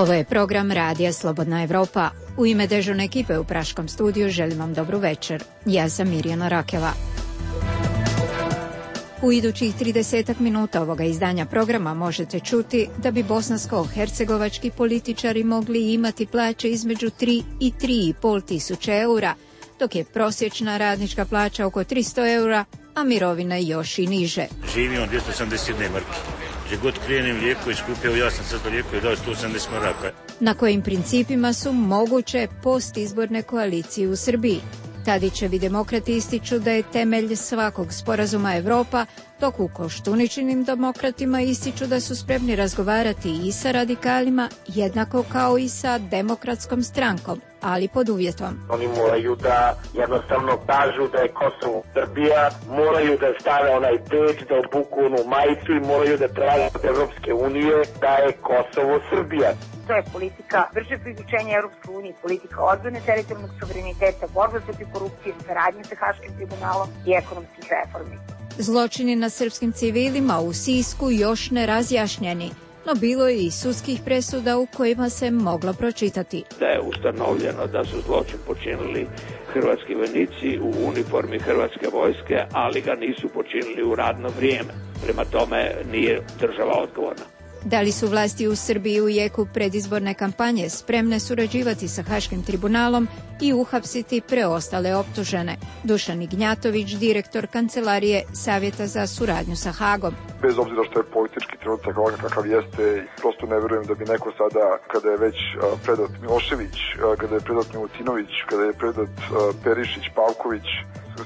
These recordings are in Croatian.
Ovo je program Radija Slobodna Evropa. U ime dežurne ekipe u Praškom studiju želim vam dobru večer. Ja sam Mirjana Rakeva. U idućih 30 minuta ovoga izdanja programa možete čuti da bi bosansko-hercegovački političari mogli imati plaće između 3 i 3,5 tisuće eura, dok je prosječna radnička plaća oko 300 eura, a mirovina još i niže. Živim od 281 marke. Gdje god krenem lijekovi skupio, ja sam sad lijekovi dao 180 maraka. Na kojim principima su moguće postizborne koalicije u Srbiji? Tadićevi demokrati ističu da je temelj svakog sporazuma Evropa, dok u Koštuničinim demokratima ističu da su spremni razgovarati i sa radikalima, jednako kao i sa demokratskom strankom, ali pod uvjetom. Oni moraju da jednostavno kažu da je Kosovo Srbija, moraju da stave onaj peč, da obuku onu majicu i moraju da traže od Evropske unije da je Kosovo Srbija. To je politika brže priključenja Europske unije, politika odbrane teritorijalnog suvereniteta, borbe protiv korupcije, saradnje sa Haškim tribunalom i ekonomskih reformi. Zločini nad srpskim civilima u Sisku još ne razjašnjeni, no bilo je i sudskih presuda u kojima se moglo pročitati da je ustanovljeno da su zločin počinili hrvatski vojnici u uniformi hrvatske vojske, ali ga nisu počinili u radno vrijeme. Prema tome nije država odgovorna. Da li su vlasti u Srbiji u jeku predizborne kampanje spremne surađivati sa Haškim tribunalom i uhapsiti preostale optužene? Dušan Ignjatović, direktor Kancelarije Savjeta za suradnju sa Hagom. Bez obzira što je politički trenutak ovakav kakav jeste, prosto ne verujem da bi neko sada, kada je već predat Milošević, kada je predat Milutinović, kada je predat Perišić, Pavković,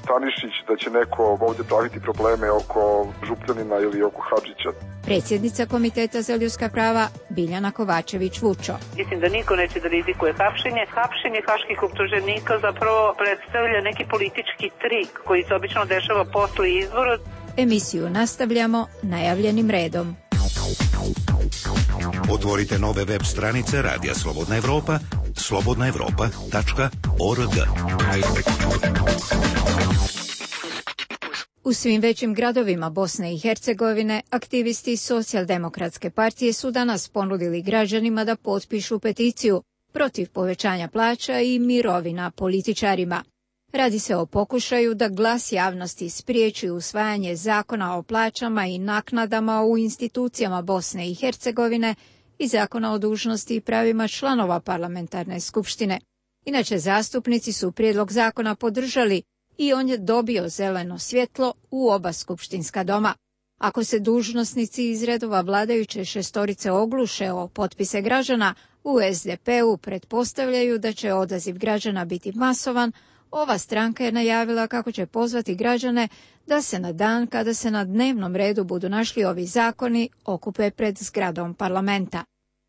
Stanišić, da će neko ovdje praviti probleme oko Župljanina ili oko Hadžića. Predsjednica Komiteta za ljudska prava Biljana Kovačević-Vučo. Mislim da niko neće da rizikuje hapšenje. Hapšenje haških optuženika zapravo predstavlja neki politički trik koji se obično dešava posle izbora. Emisiju nastavljamo najavljenim redom. Otvorite nove web stranice Radija Slobodna Evropa, slobodnaevropa.org. U svim većim gradovima Bosne i Hercegovine aktivisti Socijaldemokratske partije su danas ponudili građanima da potpišu peticiju protiv povećanja plaća i mirovina političarima. Radi se o pokušaju da glas javnosti spriječi usvajanje zakona o plaćama i naknadama u institucijama Bosne i Hercegovine i zakona o dužnosti i pravima članova parlamentarne skupštine. Inače, zastupnici su prijedlog zakona podržali i on je dobio zeleno svjetlo u oba skupštinska doma. Ako se dužnosnici iz redova vladajuće šestorice ogluše o potpise građana, u SDP-u pretpostavljaju da će odaziv građana biti masovan. Ova stranka je najavila kako će pozvati građane da se na dan kada se na dnevnom redu budu našli ovi zakoni okupe pred zgradom parlamenta.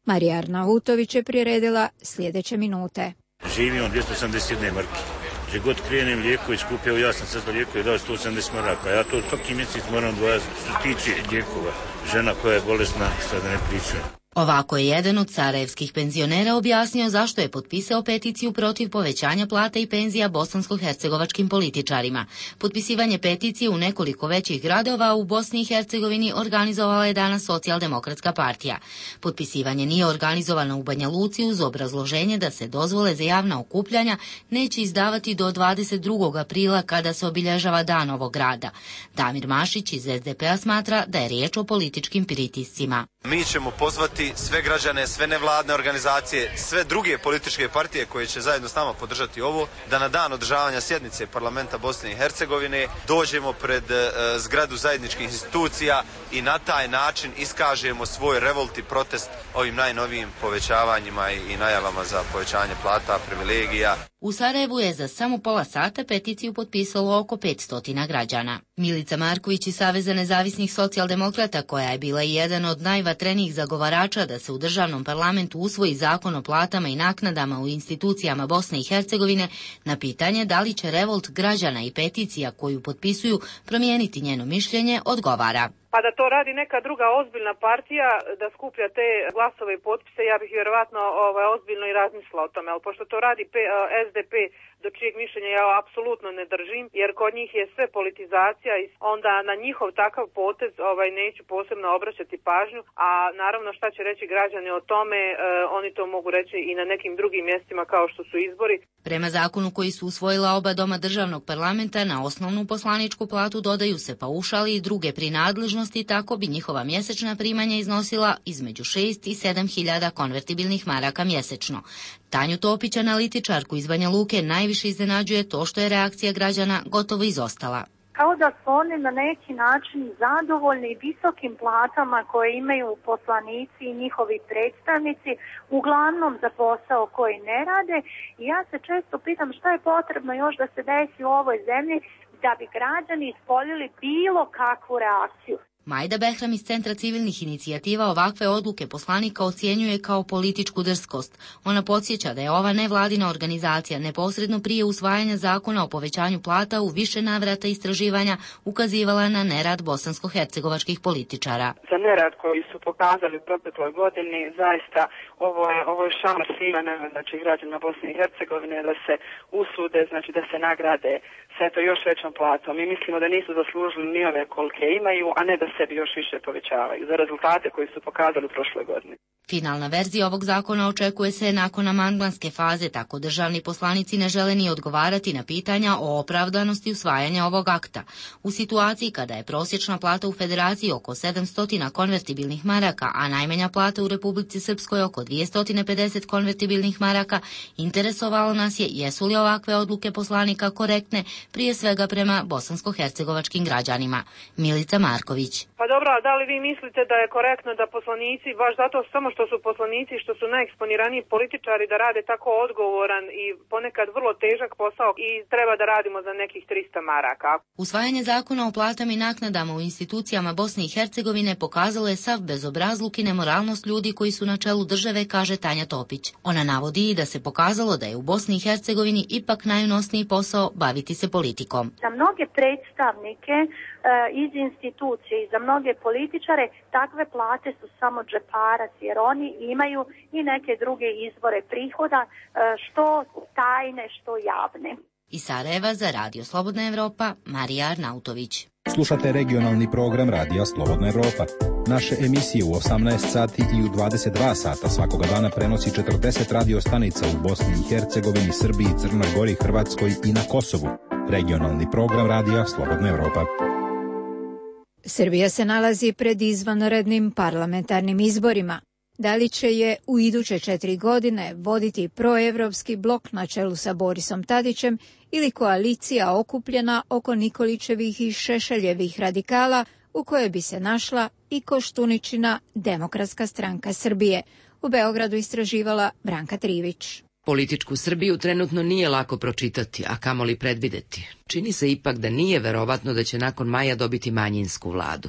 Marija Arnautović je priredila sljedeće minute. Živim od 281 marke. Gdje god krenem lijekovi skupio, ja sam sad lijekovi dao 180 maraka. Ja to svaki mjesec moram dvojati što tiče lijekova. Žena koja je bolesna, sada ne pričujem. Ovako je jedan od sarajevskih penzionera objasnio zašto je potpisao peticiju protiv povećanja plata i penzija bosansko-hercegovačkim političarima. Potpisivanje peticije u nekoliko većih gradova u Bosni i Hercegovini organizovala je danas Socijaldemokratska partija. Potpisivanje nije organizovano u Banja Luci uz obrazloženje da se dozvole za javna okupljanja neće izdavati do 22. aprila kada se obilježava dan ovog grada. Damir Mašić iz SDP-a smatra da je riječ o političkim pritiscima. Mi ćemo pozvati sve građane, sve nevladne organizacije, sve druge političke partije koje će zajedno s nama podržati ovo, da na dan održavanja sjednice parlamenta Bosne i Hercegovine dođemo pred zgradu zajedničkih institucija i na taj način iskažemo svoj revolt i protest ovim najnovijim povećavanjima i najavama za povećanje plata, privilegija. U Sarajevu je za samo pola sata peticiju potpisalo oko 500 građana. Milica Marković iz Saveza nezavisnih socijaldemokrata, koja je bila i jedan od najvatrenijih zagovarača da se u državnom parlamentu usvoji zakon o platama i naknadama u institucijama Bosne i Hercegovine, na pitanje da li će revolt građana i peticija koju potpisuju promijeniti njeno mišljenje, odgovara. pa da to radi neka druga ozbiljna partija, da skuplja te glasove i potpise, ja bih vjerovatno ozbiljno i razmislila o tome, ali pošto to radi SDP, do čijeg mišljenja ja apsolutno ne držim, jer kod njih je sve politizacija i onda na njihov takav potez neću posebno obraćati pažnju, a naravno šta će reći građani o tome, oni to mogu reći i na nekim drugim mjestima kao što su izbori. Prema zakonu koji su usvojila oba doma državnog parlamenta, na osnovnu poslaničku platu dodaju se paušali i druge prinadležnosti, tako bi njihova mjesečna primanja iznosila između 6 i 7 hiljada konvertibilnih maraka mjesečno. Tanju Topić, analitičarku iz Banja Luke, najviše iznenađuje to što je reakcija građana gotovo izostala. Kao da su oni na neki način zadovoljni visokim platama koje imaju poslanici i njihovi predstavnici, uglavnom za posao koji ne rade. I ja se često pitam šta je potrebno još da se desi u ovoj zemlji da bi građani ispoljili bilo kakvu reakciju. Majda Behram iz Centra civilnih inicijativa ovakve odluke poslanika ocjenjuje kao političku drskost. Ona podsjeća da je ova nevladina organizacija neposredno prije usvajanja zakona o povećanju plata u više navrata istraživanja ukazivala na nerad bosansko-hercegovačkih političara. Za nerad koji su pokazali u protekloj godini, zaista ovo je šamar svima, znači građanima Bosne i Hercegovine, da se usude, znači da se nagrade sa eto još većom platom. Mi mislimo da nisu zaslužili ni ove kolike imaju, a ne da sebi još više povećavaju za rezultate koji su pokazali u prošloj godini. Finalna verzija ovog zakona očekuje se nakon amandmanske faze, tako državni poslanici ne žele ni odgovarati na pitanja o opravdanosti usvajanja ovog akta. U situaciji kada je prosječna plata u Federaciji oko 700 konvertibilnih maraka, a najmanja plata u Republici Srpskoj oko 250 konvertibilnih maraka, interesovalo nas je jesu li ovakve odluke poslanika korektne, prije svega prema bosansko-hercegovačkim građanima. Milica Marković. Pa dobro, a da li vi mislite da je korektno da poslanici, baš zato samo što su poslanici, što su najeksponiraniji političari, da rade tako odgovoran i ponekad vrlo težak posao i treba da radimo za nekih 300 maraka? Usvajanje zakona o platama i naknadama u institucijama Bosne i Hercegovine pokazalo je sav bezobrazluk i nemoralnost ljudi koji su na čelu države, kaže Tanja Topić. Ona navodi i da se pokazalo da je u Bosni i Hercegovini ipak najunosniji posao baviti se politikom. Za mnoge predstavnike iz institucije i za mnoge političare takve plate su samo džeparac, jer oni imaju i neke druge izvore prihoda, što tajne, što javne. Iz Sarajeva za Radio Slobodna Evropa, Marija Arnautović. Slušate regionalni program Radija Slobodna Evropa. Naše emisije u 18 sati i u 22 sata svakoga dana prenosi 40 radio stanica u Bosni i Hercegovini, Srbiji, Crnoj Gori, Hrvatskoj i na Kosovu. Regionalni program Radija Slobodna Evropa. Srbija se nalazi pred izvanrednim parlamentarnim izborima. Da li će je u iduće 4 godine voditi proevropski blok na čelu sa Borisom Tadićem ili koalicija okupljena oko Nikolićevih i Šešeljevih radikala u kojoj bi se našla i Koštuničina Demokratska stranka Srbije. U Beogradu istraživala Branka Trivić. Političku Srbiju trenutno nije lako pročitati, a kamoli predvideti. Čini se ipak da nije verovatno da će nakon maja dobiti manjinsku vladu.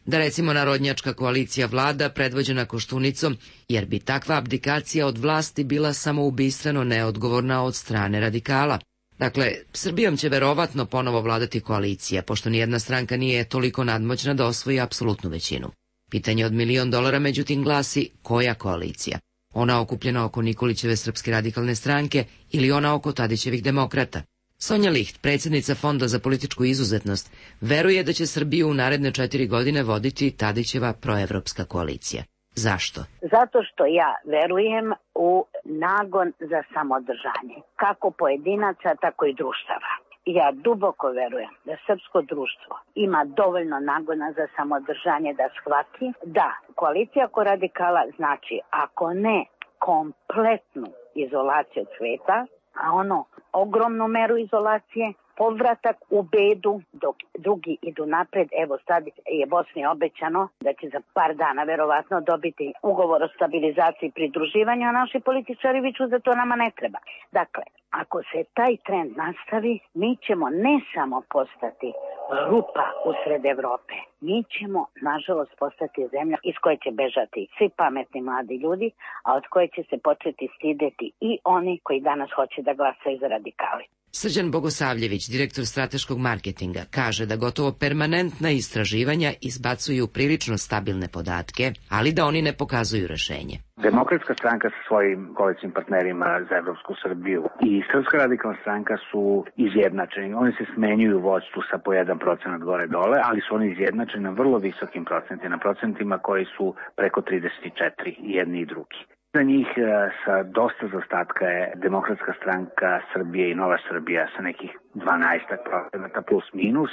Da recimo narodnjačka koalicija vlada predvođena Koštunicom, jer bi takva abdikacija od vlasti bila samoubistveno neodgovorna od strane radikala. Dakle, Srbijom će verovatno ponovo vladati koalicija, pošto nijedna stranka nije toliko nadmoćna da osvoji apsolutnu većinu. Pitanje od $1.000.000 međutim glasi koja koalicija? Ona okupljena oko Nikolićeve Srpske radikalne stranke ili ona oko Tadićevih demokrata? Sonja Licht, predsjednica Fonda za političku izuzetnost, veruje da će Srbiju u naredne 4 godine voditi Tadićeva proevropska koalicija. Zašto? Zato što ja verujem u nagon za samodržanje, kako pojedinaca, tako i društava. Ja duboko verujem da srpsko društvo ima dovoljno nagona za samodržanje da shvati da koalicija oko radikala znači ako ne kompletnu izolaciju od sveta, a ono ogromnu meru izolacije, povratak u bedu dok drugi idu napred. Evo sad je Bosni obećano da će za par dana verovatno dobiti ugovor o stabilizaciji i pridruživanju, a naši političari viču da to nama ne treba. Dakle, ako se taj trend nastavi, mi ćemo ne samo postati rupa usred Evrope, mi ćemo nažalost postati zemlja iz koje će bežati svi pametni mladi ljudi, a od koje će se početi stideti i oni koji danas hoće da glasaju za radikali. Srđan Bogosavljević, direktor strateškog marketinga, kaže da gotovo permanentna istraživanja izbacuju prilično stabilne podatke, ali da oni ne pokazuju rešenje. Demokratska stranka sa svojim koalicijnim partnerima za Evropsku Srbiju i Srpska radikalna stranka su izjednačeni. Oni se smenjuju u vođstvu sa po 1% gore dole, ali su oni izjednačeni na vrlo visokim procentima, na procentima koji su preko 34 i jedni i drugi. Za njih sa dosta zaostatka je Demokratska stranka Srbije i Nova Srbija sa nekih 12% plus minus.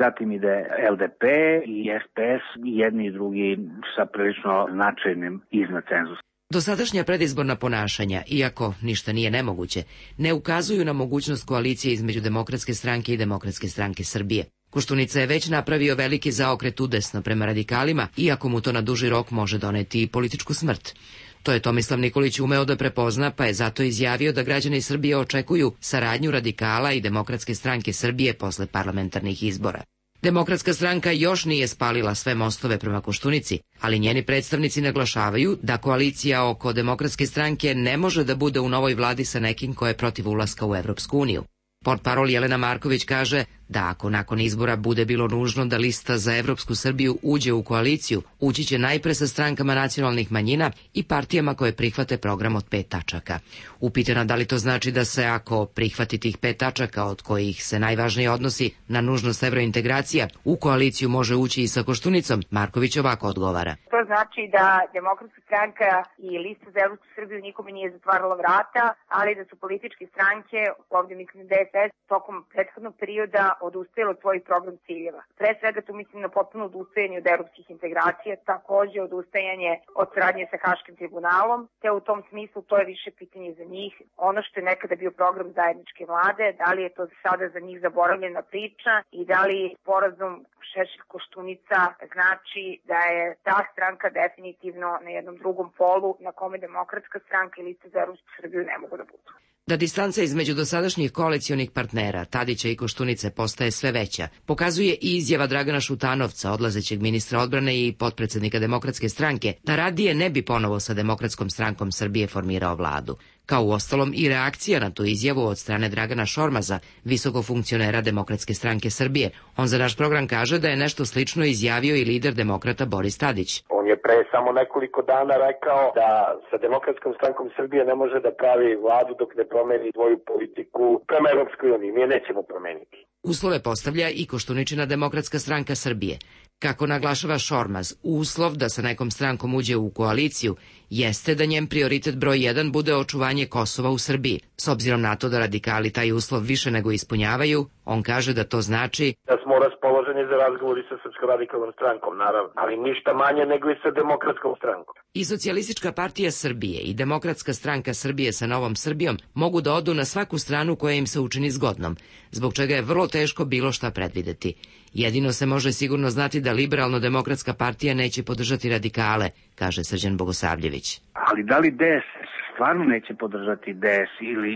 Zatim ide LDP i SPS i jedni i drugi sa prilično značajnim iznad cenzusa. Dosadašnja predizborna ponašanja, iako ništa nije nemoguće, ne ukazuju na mogućnost koalicije između Demokratske stranke i Demokratske stranke Srbije. Koštunica je već napravio veliki zaokret udesno prema radikalima, iako mu to na duži rok može doneti i političku smrt. To je Tomislav Nikolić umeo da prepozna, pa je zato izjavio da građani Srbije očekuju saradnju radikala i Demokratske stranke Srbije posle parlamentarnih izbora. Demokratska stranka još nije spalila sve mostove prema Koštunici, ali njeni predstavnici naglašavaju da koalicija oko Demokratske stranke ne može da bude u novoj vladi sa nekim ko je protiv ulaska u Evropsku uniju. Portparol Jelena Marković kaže da ako nakon izbora bude bilo nužno da lista za Evropsku Srbiju uđe u koaliciju, ući će najpre sa strankama nacionalnih manjina i partijama koje prihvate program od 5 tačaka. Upitana da li to znači da se ako prihvati tih 5 tačaka, od kojih se najvažnije odnosi na nužnost evrointegracija, u koaliciju može ući i sa Koštunicom, Marković ovako odgovara. To znači da Demokratska stranka i lista za Evropsku Srbiju nikome nije zatvarala vrata, ali da su političke stranke, ovdje mislim DSS, tokom prethodnog perioda odustajali od svojih program ciljeva. Pre svega tu mislim na potpuno odustajanje od evropskih integracija, takođe odustajanje od saradnje sa Haškim tribunalom, te u tom smislu to je više pitanje za njih. Ono što je nekada bio program zajedničke vlade, da li je to sada za njih zaboravljena priča i da li sporazum Šešelj-Koštunica znači da je ta stranka definitivno na jednom drugom polu na kome Demokratska stranka i lista za Evropsku Srbiju ne mogu da budu. Da distanca između dosadašnjih koalicionih partnera, Tadića i Koštunice, postaje sve veća, pokazuje i izjava Dragana Šutanovca, odlazećeg ministra odbrane i potpredsednika Demokratske stranke, da radije ne bi ponovo sa Demokratskom strankom Srbije formirao vladu. Kao uostalom i reakcija na tu izjavu od strane Dragana Šormaza, visokog funkcionera Demokratske stranke Srbije. On za naš program kaže da je nešto slično izjavio i lider demokrata Boris Tadić. On je pre samo nekoliko dana rekao da sa Demokratskom strankom Srbije ne može da pravi vladu dok ne promeni svoju politiku prema Evropskoj uniji. Mi je nećemo promeniti. Uslove postavlja i Koštuničina Demokratska stranka Srbije. Kako naglašava Šormaz, uslov da sa nekom strankom uđe u koaliciju jeste da njen prioritet broj 1 bude očuvanje Kosova u Srbiji. S obzirom na to da radikali taj uslov više nego ispunjavaju, on kaže da to znači da smo raspoloženi za razgovori sa Srpskom radikalnom strankom, naravno, ali ništa manje nego i sa Demokratskom strankom. I Socijalistička partija Srbije i Demokratska stranka Srbije sa Novom Srbijom mogu da odu na svaku stranu koja im se učini zgodnom, zbog čega je vrlo teško bilo šta predvideti. Jedino se može sigurno znati da Liberalno-demokratska partija neće podržati radikale, kaže Srđan Bogosavljević. Ali da li DS stvarno neće podržati DS ili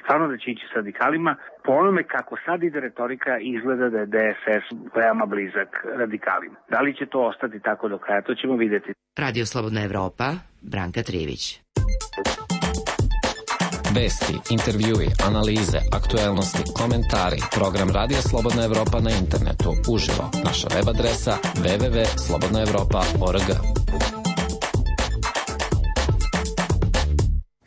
stvarno da će ići s radikalima, po onome kako sad ide retorika izgleda da je DSS veoma blizak radikalima. Da li će to ostati tako do kraja, to ćemo vidjeti. Radio Slobodna Evropa, Branka Trivić. Vesti, intervjui, analize, aktuelnosti, komentari, program Radio Slobodna Evropa na internetu, uživo, naša web adresa www.slobodnaevropa.org.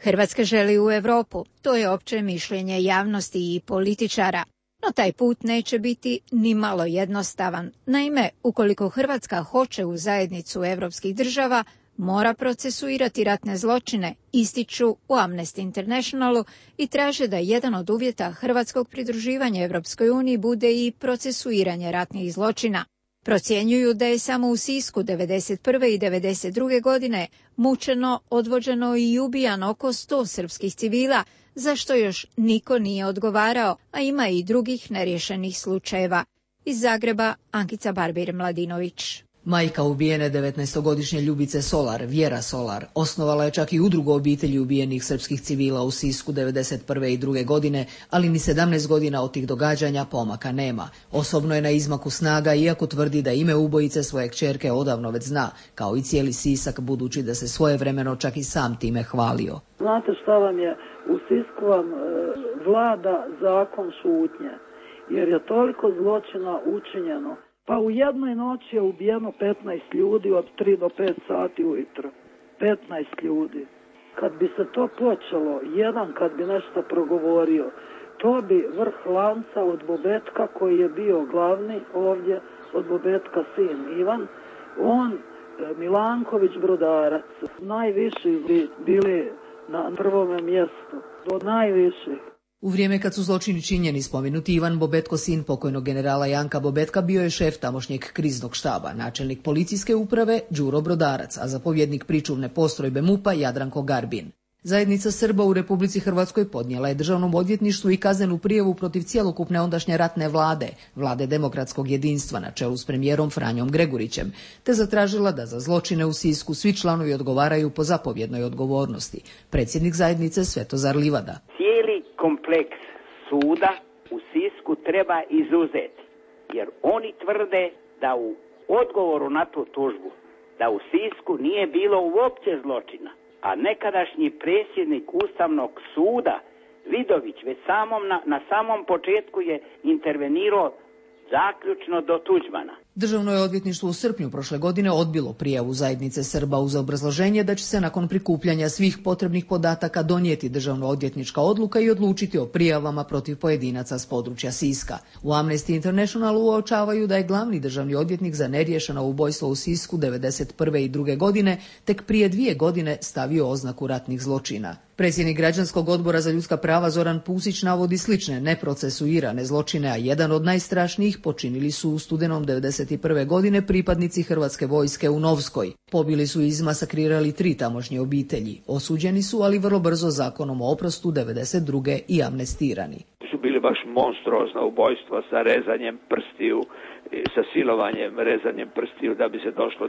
Hrvatska želi u Evropu, to je opće mišljenje javnosti i političara. No taj put neće biti ni malo jednostavan. Naime, ukoliko Hrvatska hoće u zajednicu evropskih država, mora procesuirati ratne zločine, ističu u Amnesty Internationalu i traže da jedan od uvjeta hrvatskog pridruživanja Evropskoj uniji bude i procesuiranje ratnih zločina. Procjenjuju da je samo u Sisku 1991. i 1992. godine mučeno, odvođeno i ubijano oko 100 srpskih civila, za što još niko nije odgovarao, a ima i drugih neriješenih slučajeva. Iz Zagreba, Ankica Barbir-Mladinović. Majka ubijene 19-godišnje Ljubice Solar, Vjera Solar, osnovala je čak i udrugu obitelji ubijenih srpskih civila u Sisku 1991. i 1992. godine, ali ni 17 godina od tih događanja pomaka nema. Osobno je na izmaku snaga, iako tvrdi da ime ubojice svoje kćerke odavno već zna, kao i cijeli Sisak, budući da se svojevremeno čak i sam time hvalio. Znate šta vam je? U Sisku vam vlada zakon šutnje, jer je toliko zločina učinjeno. Pa u jednoj noći je ubijeno 15 ljudi od 3 do 5 sati ujutro. 15 ljudi. Kad bi se to počelo, jedan kad bi nešto progovorio, to bi vrh lanca od Bobetka koji je bio glavni ovdje, od Bobetka sin Ivan, on, Milanković, Brodarac, najviši bi bili na prvome mjestu, od najviših. U vrijeme kad su zločini činjeni, spomenuti Ivan Bobetko, sin pokojnog generala Janka Bobetka, bio je šef tamošnjeg kriznog štaba, načelnik policijske uprave Đuro Brodarac, a zapovjednik pričuvne postrojbe MUP-a Jadranko Garbin. Zajednica Srba u Republici Hrvatskoj podnijela je Državnom odvjetništvu i kaznenu prijavu protiv cjelokupne ondašnje ratne vlade demokratskog jedinstva na čelu s premijerom Franjom Gregurićem, te zatražila da za zločine u Sisku svi članovi odgovaraju po zapovjednoj odgovornosti. Predsjednik zajednice Svetozar Livada. Cijeli kompleks suda u Sisku treba izuzeti, jer oni tvrde da u odgovoru na tu tužbu, da u Sisku nije bilo uopće zločina. A nekadašnji predsjednik Ustavnog suda, Vidović, već na samom početku je intervenirao zaključno do Tuđmana. Državno je odvjetništvo u srpnju prošle godine odbilo prijavu zajednice Srba uz obrazloženje da će se nakon prikupljanja svih potrebnih podataka donijeti državno-odvjetnička odluka i odlučiti o prijavama protiv pojedinaca s područja Siska. U Amnesty Internationalu uočavaju da je glavni državni odvjetnik za neriješeno ubojstvo u Sisku 1991. i 1992. godine tek prije 2 godine stavio oznaku ratnih zločina. Predsjednik Građanskog odbora za ljudska prava Zoran Pusić navodi slične neprocesuirane zločine, a jedan od najstrašnijih počinili su u studenom 1991. godine pripadnici Hrvatske vojske u Novskoj. Pobili su i izmasakrirali 3 tamošnje obitelji. Osuđeni su, ali vrlo brzo zakonom o oprostu 1992. i amnestirani. Su bili baš monstruozna ubojstva sa rezanjem prstiju, sa silovanjem, rezanjem prstiju da bi se došlo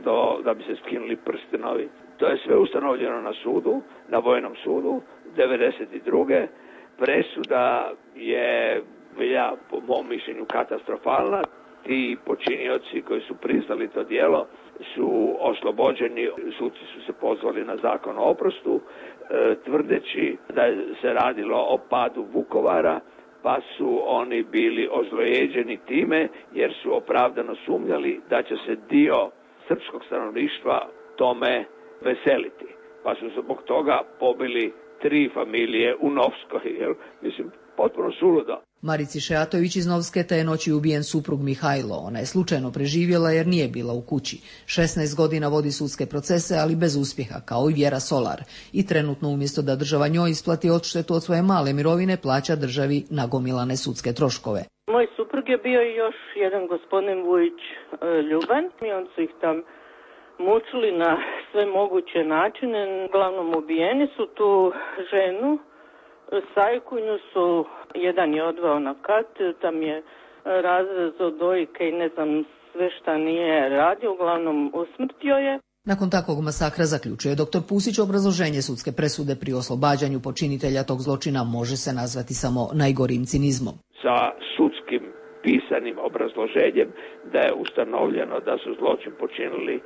da bi se skinuli prstenovi. To je sve ustanovljeno na sudu, na vojnom sudu, 1992. Presuda je bila, po mom mišljenju, katastrofalna. Ti počinioci koji su priznali to djelo su oslobođeni, suci su se pozvali na zakon o oprostu, tvrdeći da se radilo o padu Vukovara, pa su oni bili ozlojeđeni time jer su opravdano sumnjali da će se dio srpskog stanovništva tome veseliti. Pa su zbog toga pobili 3 familije u Novskoj. Mislim, potpuno suludo. Marici Šeatović iz Novske te je noći ubijen suprug Mihajlo. Ona je slučajno preživjela jer nije bila u kući. 16 godina vodi sudske procese, ali bez uspjeha, kao i Vjera Solar. I trenutno umjesto da država njoj isplati odštetu od svoje male mirovine, plaća državi nagomilane sudske troškove. Moj suprug je bio i još jedan gospodin Vujić Ljuban i on su ih tam mučili na sve moguće načine. Uglavnom ubijeni su tu ženu, sajkunju su, jedan je odveo na kat, tam je razrezao dojke i ne znam sve šta nije radio, uglavnom usmrtio je. Nakon takvog masakra, zaključuje dr. Pusić, obrazloženje sudske presude pri oslobađanju počinitelja tog zločina može se nazvati samo najgorim cinizmom. Sa sudskim pisanim obrazloženjem da je ustanovljeno da su zločin počinili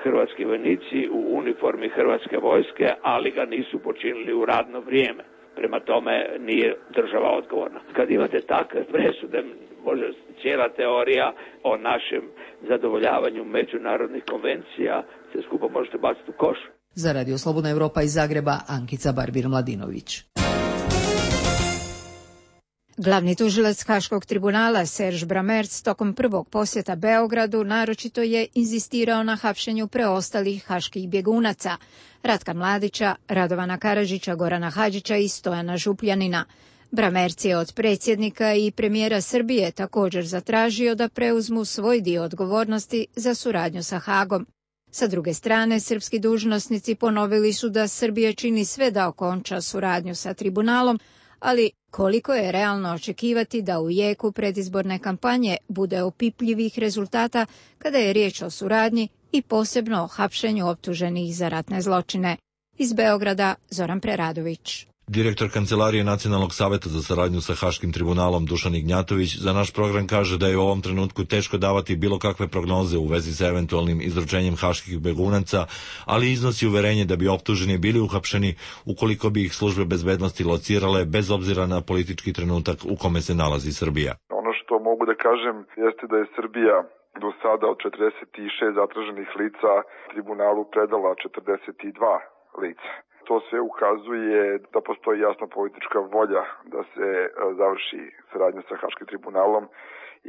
hrvatski vojnici u uniformi Hrvatske vojske, ali ga nisu počinili u radno vrijeme. Prema tome nije država odgovorna. Kad imate takve presude, može cijela teorija o našem zadovoljavanju međunarodnih konvencija se skupo možete baciti u koš. Za Radio Slobodna Evropa iz Zagreba, Ankica Barbir-Mladinović. Glavni tužilac Haškog tribunala Serž Bramerc tokom prvog posjeta Beogradu naročito je inzistirao na hapšenju preostalih haških bjegunaca Ratka Mladića, Radovana Karadžića, Gorana Hadžića i Stojana Župljanina. Bramerc je od predsjednika i premijera Srbije također zatražio da preuzmu svoj dio odgovornosti za suradnju sa Hagom. Sa druge strane, srpski dužnosnici ponovili su da Srbija čini sve da okonča suradnju sa tribunalom, ali koliko je realno očekivati da u jeku predizborne kampanje bude opipljivih rezultata kada je riječ o suradnji i posebno o hapšenju optuženih za ratne zločine. Iz Beograda, Zoran Preradović. Direktor Kancelarije Nacionalnog saveta za saradnju sa Haškim tribunalom Dušan Ignjatović za naš program kaže da je u ovom trenutku teško davati bilo kakve prognoze u vezi sa eventualnim izručenjem haških begunaca, ali iznosi uverenje da bi optuženi bili uhapšeni ukoliko bi ih službe bezbednosti locirale bez obzira na politički trenutak u kome se nalazi Srbija. Ono što mogu da kažem jeste da je Srbija do sada od 46 zatraženih lica tribunalu predala 42 lica. To sve ukazuje da postoji jasna politička volja da se završi saradnja sa Haškim tribunalom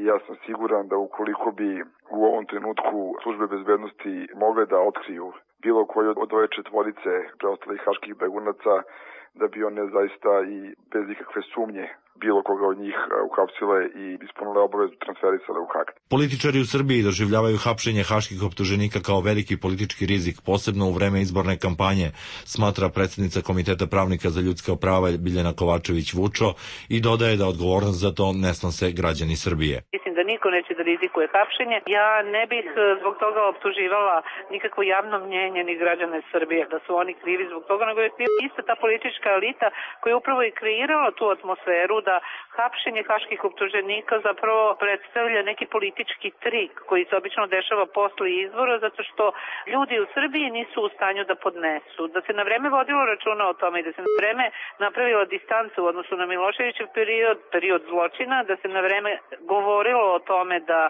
i ja sam siguran da ukoliko bi u ovom trenutku službe bezbednosti mogle da otkriju bilo koju od ove četvorice preostalih haških begunaca, da bi one zaista i bez ikakve sumnje bilo koga od njih uhapsile i ispunile obavezu transferisale u Hag. Političari u Srbiji doživljavaju hapšenje haških optuženika kao veliki politički rizik, posebno u vreme izborne kampanje, smatra predsjednica Komiteta pravnika za ljudska prava Biljana Kovačević-Vučo i dodaje da odgovornost za to ne snose građani Srbije. Mislim da niko neće da rizikuje hapšenje. Ja ne bih zbog toga optuživala nikakvo javno mnjenje ni građane Srbije da su oni krivi zbog toga, nego je ista ta politička elita koja je upravo i kreirala tu atmosferu da hapšenje haških optuženika zapravo predstavlja neki politički trik koji se obično dešava posle izbora, zato što ljudi u Srbiji nisu u stanju da podnesu. Da se na vreme vodilo računa o tome i da se na vreme napravila distanca u odnosu na Miloševićev period zločina, da se na vreme govorilo o tome da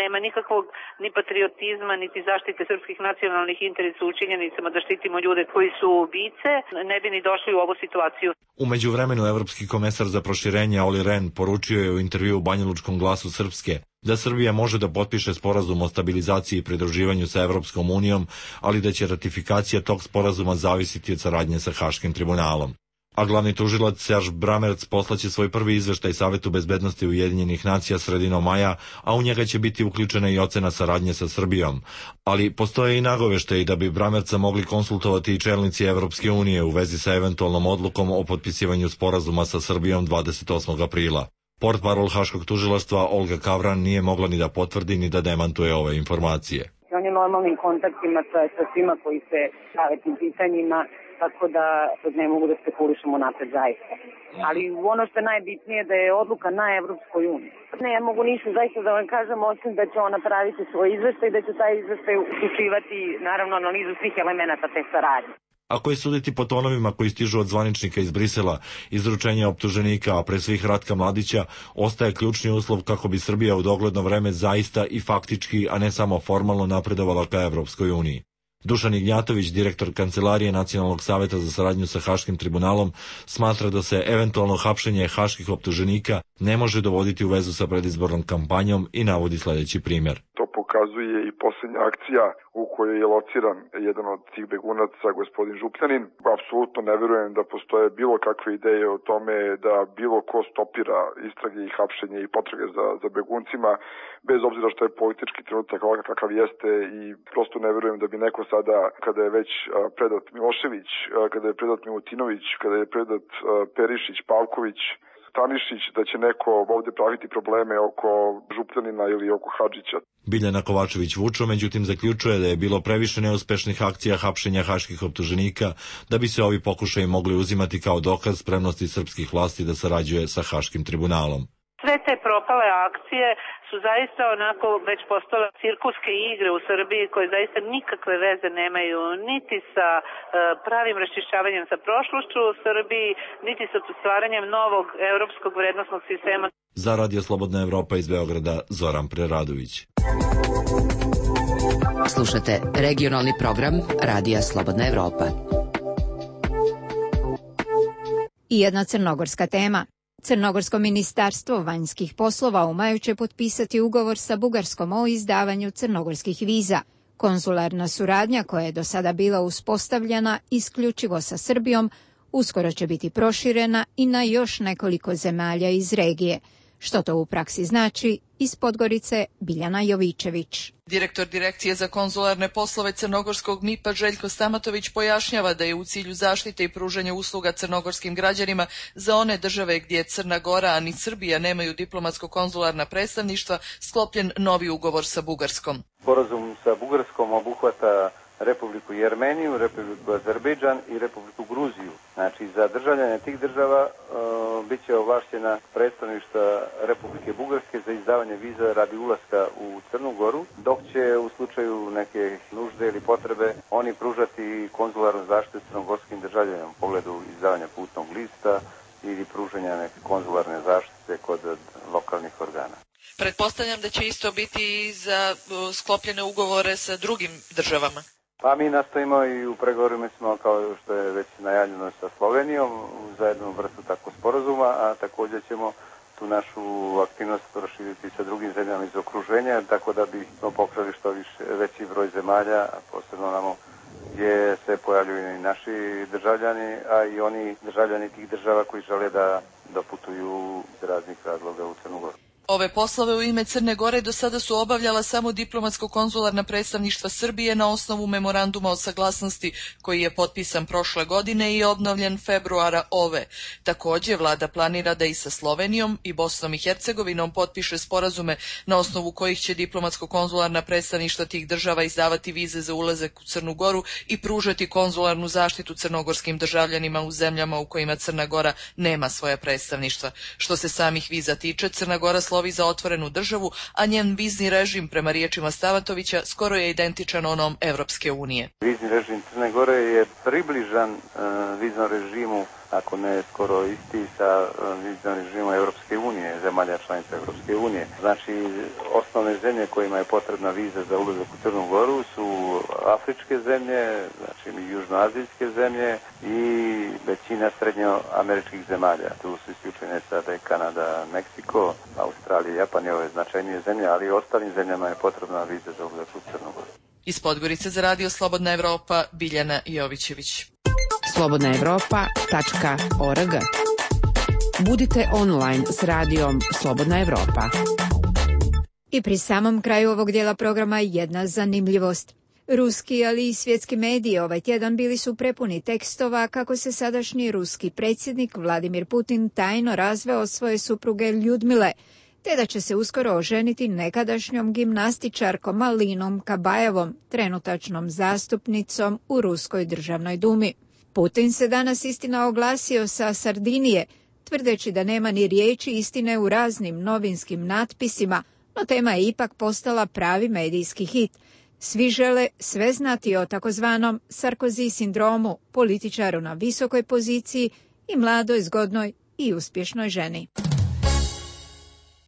nema nikakvog ni patriotizma, niti zaštite srpskih nacionalnih interesa u činjenicama da štitimo ljude koji su ubice, ne bi ni došli u ovu situaciju. U međuvremenu evropski komesar za proširenje Olli Rehn poručio je u intervjuu u Banjalučkom glasu Srpske da Srbija može da potpiše sporazum o stabilizaciji i pridruživanju sa Evropskom unijom, ali da će ratifikacija tog sporazuma zavisiti od saradnje sa Haškim tribunalom. A glavni tužilac Serge Bramertz poslaće svoj prvi izveštaj Savetu bezbednosti Ujedinjenih nacija sredinom maja, a u njega će biti uključena i ocena saradnje sa Srbijom. Ali postoje i nagoveštaji da bi Bramertza mogli konsultovati i čelnici Evropske unije u vezi sa eventualnom odlukom o potpisivanju sporazuma sa Srbijom 28. aprila. Portparol Haškog tužilaštva Olga Kavran nije mogla ni da potvrdi ni da demantuje ove informacije. On je normalnim kontaktima sa svima koji se bave tim pitanjima, tako da ne mogu da spekulišemo napred zaista. Ali ono što je najbitnije da je odluka na Evropskoj uniji. Ne mogu ništa zaista da vam kažem, osim da će ona napraviti svoj izveštaj i da će taj izveštaj uključivati naravno analizu svih elemenata te saradnje. Ako je suditi po tonovima koji stižu od zvaničnika iz Brisela, izručenje optuženika, a pre svih Ratka Mladića, ostaje ključni uslov kako bi Srbija u dogledno vreme zaista i faktički, a ne samo formalno napredovala ka Evropskoj uniji. Dušan Ignjatović, direktor Kancelarije Nacionalnog saveta za saradnju sa Haškim tribunalom, smatra da se eventualno hapšenje haških optuženika ne može dovoditi u vezu sa predizbornom kampanjom i navodi sljedeći primjer. To pokazuje i posljednja akcija u kojoj je lociran jedan od tih begunaca, gospodin Župljanin. Apsolutno ne verujem da postoje bilo kakve ideje o tome da bilo ko stopira istrage i hapšenje i potrage za beguncima, bez obzira što je politički trenutak ovakav kakav jeste, i prosto ne verujem da bi neko sada, kada je već predat Milošević, kada je predat Milutinović, kada je predat Perišić, Pavković, Stanišić, da će neko ovdje praviti probleme oko Župljanina ili oko Hadžića. Biljana Kovačević-Vučo međutim zaključuje da je bilo previše neuspešnih akcija hapšenja haških optuženika da bi se ovi pokušaji mogli uzimati kao dokaz spremnosti srpskih vlasti da sarađuje sa Haškim tribunalom. Sve te propale akcije su zaista onako već postale cirkuske igre u Srbiji koje zaista nikakve veze nemaju niti sa pravim raščišćavanjem sa prošlošću u Srbiji, niti sa stvaranjem novog evropskog vrednosnog sistema. Za Radio Slobodna Evropa iz Beograda, Zoran Preradović. Slušate regionalni program Radija Slobodna Evropa. I jedna crnogorska tema. Crnogorsko ministarstvo vanjskih poslova u maju će potpisati ugovor sa Bugarskom o izdavanju crnogorskih viza. Konzularna suradnja koja je do sada bila uspostavljena isključivo sa Srbijom, uskoro će biti proširena i na još nekoliko zemalja iz regije. Što to u praksi znači? Iz Podgorice Biljana Jovičević. Direktor Direkcije za konzularne poslove crnogorskog MIP-a Željko Stamatović pojašnjava da je u cilju zaštite i pružanja usluga crnogorskim građanima za one države gdje Crna Gora, a ni Srbija nemaju diplomatsko-konzularna predstavništva, sklopljen novi ugovor sa Bugarskom. Sporazum sa Bugarskom obuhvata Republiku Jermeniju, Republiku Azerbejdžan i Republiku Gruziju. Znači, za državljane tih država bit će ovlašćena predstavništva Republike Bugarske za izdavanje viza radi ulaska u Crnu Goru, dok će u slučaju neke nužde ili potrebe oni pružati konzularnu zaštitu crnogorskim državljanima u pogledu izdavanja putnog lista ili pružanja neke konzularne zaštite kod lokalnih organa. Pretpostavljam da će isto biti i za sklopljene ugovore sa drugim državama. Pa mi nastojimo i u pregovorima smo, kao što je već najavljeno, sa Slovenijom za jednu vrstu takvog sporazuma, a također ćemo tu našu aktivnost proširiti sa drugim zemljama iz okruženja, tako da bismo pokrili što veći broj zemalja, a posebno namo gdje se pojavljuju i naši državljani, a i oni državljani tih država koji žele da doputuju iz raznih razloga u Crnu Goru. Ove poslove u ime Crne Gore do sada su obavljala samo diplomatsko-konzularna predstavništva Srbije na osnovu memoranduma o saglasnosti koji je potpisan prošle godine i obnovljen februara ove. Također, vlada planira da i sa Slovenijom i Bosnom i Hercegovinom potpiše sporazume na osnovu kojih će diplomatsko-konzularna predstavništva tih država izdavati vize za ulazak u Crnu Goru i pružati konzularnu zaštitu crnogorskim državljanima u zemljama u kojima Crna Gora nema svoje predstavništva. Što se samih viza tiče, Crna Gora slovi za otvorenu državu, a njen vizni režim, prema riječima Stavatovića, skoro je identičan onom Evropske unije. Vizni režim Crne Gore je približan viznom režimu, ako ne skoro isti, sa viznom režimom Evropske unije, zemalja članica Evropske unije. Znači, osnovne zemlje kojima je potrebna viza za ulazak u Crnu Goru su afričke zemlje, znači južnoazijske zemlje i većina srednjoameričkih zemalja. Tu su isključene sada i Kanada, Meksiko, Australija, Japan i ove značajnije zemlje, ali i ostalim zemljama je potrebna viza za ulazak u Crnu Goru. Iz Podgorice za Radio Slobodna Evropa, Biljana Jovićević. slobodnaevropa.org. Budite online s radijom Slobodna Evropa. I pri samom kraju ovog dijela programa jedna zanimljivost. Ruski, ali i svjetski mediji ovaj tjedan bili su prepuni tekstova kako se sadašnji ruski predsjednik Vladimir Putin tajno razveo od svoje supruge Ljudmile, te da će se uskoro oženiti nekadašnjom gimnastičarkom Alinom Kabajevom, trenutačnom zastupnicom u Ruskoj državnoj dumi. Putin se danas istina oglasio sa Sardinije, tvrdeći da nema ni riječi istine u raznim novinskim natpisima, no tema je ipak postala pravi medijski hit. Svi žele sve znati o takozvanom Sarkozy sindromu, političaru na visokoj poziciji i mladoj, zgodnoj i uspješnoj ženi.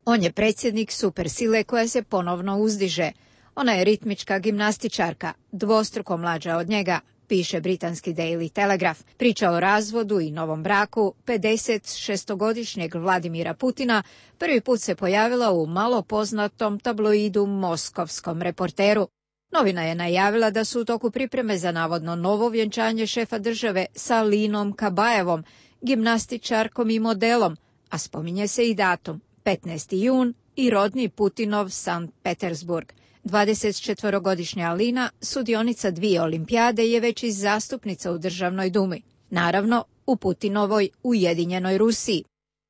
On je predsjednik supersile koja se ponovno uzdiže. Ona je ritmička gimnastičarka, dvostruko mlađa od njega, piše britanski Daily Telegraph. Priča o razvodu i novom braku 56-godišnjeg Vladimira Putina prvi put se pojavila u malo poznatom tabloidu Moskovskom Reporteru. Novina je najavila da su u toku pripreme za navodno novo vjenčanje šefa države sa Alinom Kabajevom, gimnastičarkom i modelom, a spominje se i datum, 15. jun i rodni Putinov Sankt Petersburg. 24-godišnja Alina, sudionica 2 olimpijade, je već i zastupnica u državnoj dumi. Naravno, u Putinovoj Ujedinjenoj Rusiji.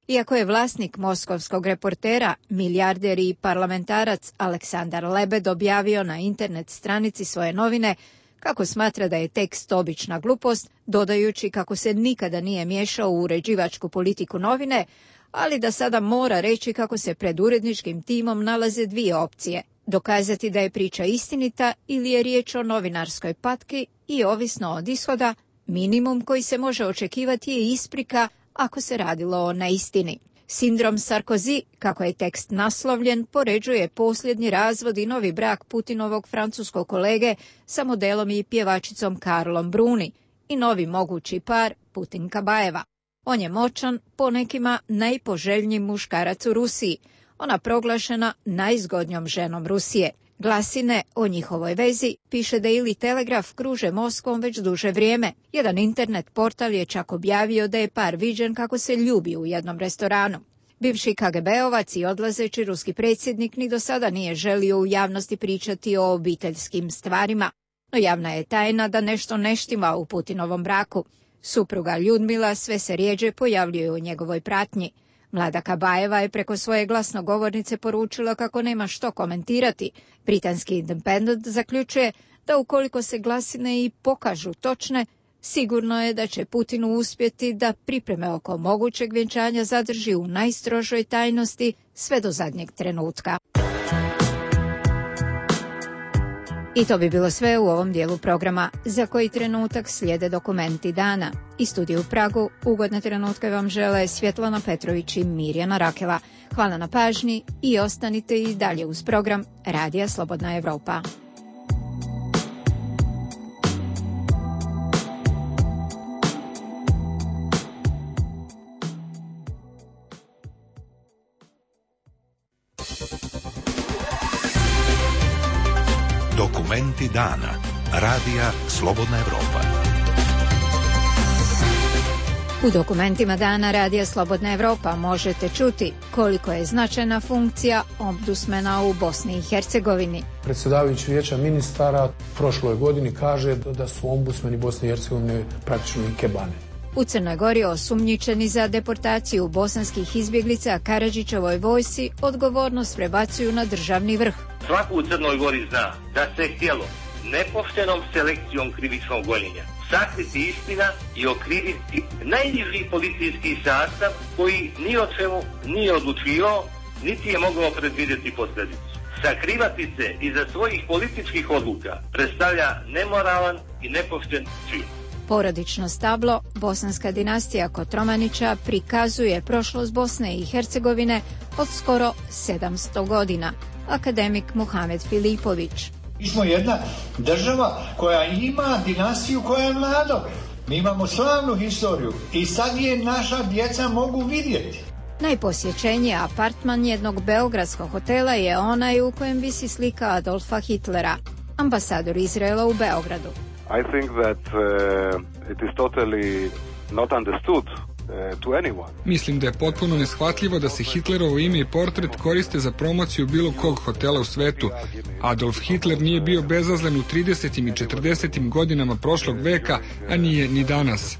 Iako je vlasnik Moskovskog Reportera, milijarder i parlamentarac Aleksandar Lebed objavio na internet stranici svoje novine kako smatra da je tekst obična glupost, dodajući kako se nikada nije miješao u uređivačku politiku novine, ali da sada mora reći kako se pred uredničkim timom nalaze 2 opcije. Dokazati da je priča istinita ili je riječ o novinarskoj patki i ovisno od ishoda, minimum koji se može očekivati je isprika ako se radilo o neistini. Sindrom Sarkozy, kako je tekst naslovljen, poređuje posljednji razvod i novi brak Putinovog francuskog kolege sa modelom i pjevačicom Karlom Bruni i novi mogući par Putin-Kabajeva. On je moćan, po nekima najpoželjniji muškarac u Rusiji, ona proglašena najzgodnjom ženom Rusije. Glasine o njihovoj vezi, piše Daily Telegraph, kruže Moskvom već duže vrijeme. Jedan internet portal je čak objavio da je par viđen kako se ljubi u jednom restoranu. Bivši KGB-ovac i odlazeći ruski predsjednik ni do sada nije želio u javnosti pričati o obiteljskim stvarima, no javna je tajna da nešto ne štima u Putinovom braku. Supruga Ljudmila sve se rjeđe pojavljuje u njegovoj pratnji. Mlada Kabajeva je preko svoje glasnogovornice poručila kako nema što komentirati. Britanski Independent zaključuje da ukoliko se glasine i pokažu točne, sigurno je da će Putinu uspjeti da pripreme oko mogućeg vjenčanja zadrži u najstrožoj tajnosti sve do zadnjeg trenutka. I to bi bilo sve u ovom dijelu programa. Za koji trenutak slijede dokumenti dana. Iz studija u Pragu ugodne trenutke vam žele Svjetlana Petrović i Mirjana Rakela. Hvala na pažnji i ostanite i dalje uz program Radija Slobodna Evropa. Dokumenti dana. Radija Slobodna Evropa. U dokumentima dana Radija Slobodna Evropa možete čuti koliko je značajna funkcija ombudsmana u Bosni i Hercegovini. Predsjedavajući Vijeća ministara prošloj godini kaže da su ombudsmeni Bosne i Hercegovine praktično i kebane. U Crnoj Gori osumnjičeni za deportaciju bosanskih izbjeglica Karadžićevoj vojsci odgovornost prebacuju na državni vrh. Svako u Crnoj Gori zna da se htjelo nepoštenom selekcijom krivičnog gonjenja sakriti istina i okriviti najniži policijski sastav koji ni o čemu nije odlučivao, niti je mogao predvidjeti posljedicu. Sakrivati se iza svojih političkih odluka predstavlja nemoralan i nepošten čin. Porodično stablo, bosanska dinastija Kotromanića prikazuje prošlost Bosne i Hercegovine od skoro 700 godina. Akademik Muhamed Filipović. Mi smo jedna država koja ima dinastiju koja je mlada. Mi imamo slavnu historiju i sad je naša djeca mogu vidjeti. Najposjećeniji apartman jednog beogradskog hotela je onaj u kojem visi slika Adolfa Hitlera, ambasador Izraela u Beogradu. I think that it is totally not understood to anyone. Mislim da je potpuno neshvatljivo da se Hitlerovo ime i portret koriste za promociju bilo kog hotela u svetu. Adolf Hitler nije bio bezazlen u 30. i 40. godinama prošlog veka, a nije ni danas.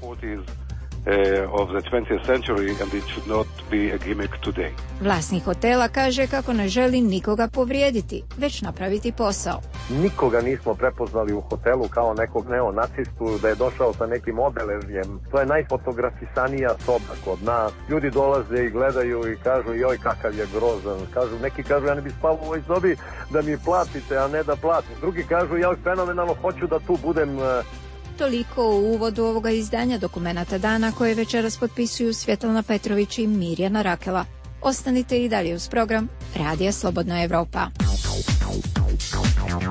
Of the 20th century and it should not be a gimmick today. Vlasnik hotela kaže kako ne želi nikoga povrijediti, već napraviti posao. Nikoga nismo prepoznali u hotelu kao nekog neonacistu, da je došao sa nekim obeležjem. To je najfotografisanija soba kod nas. Ljudi dolaze i gledaju i kažu joj kakav je grozan. Neki kažu ja ne bi spao u ovoj sobi da mi platite, a ne da platim. Drugi kažu ja fenomenalno hoću da tu budem. Toliko u uvodu ovoga izdanja dokumenata dana koje večeras potpisuju Svjetlana Petrović i Mirjana Rakela. Ostanite i dalje uz program Radija Slobodna Evropa.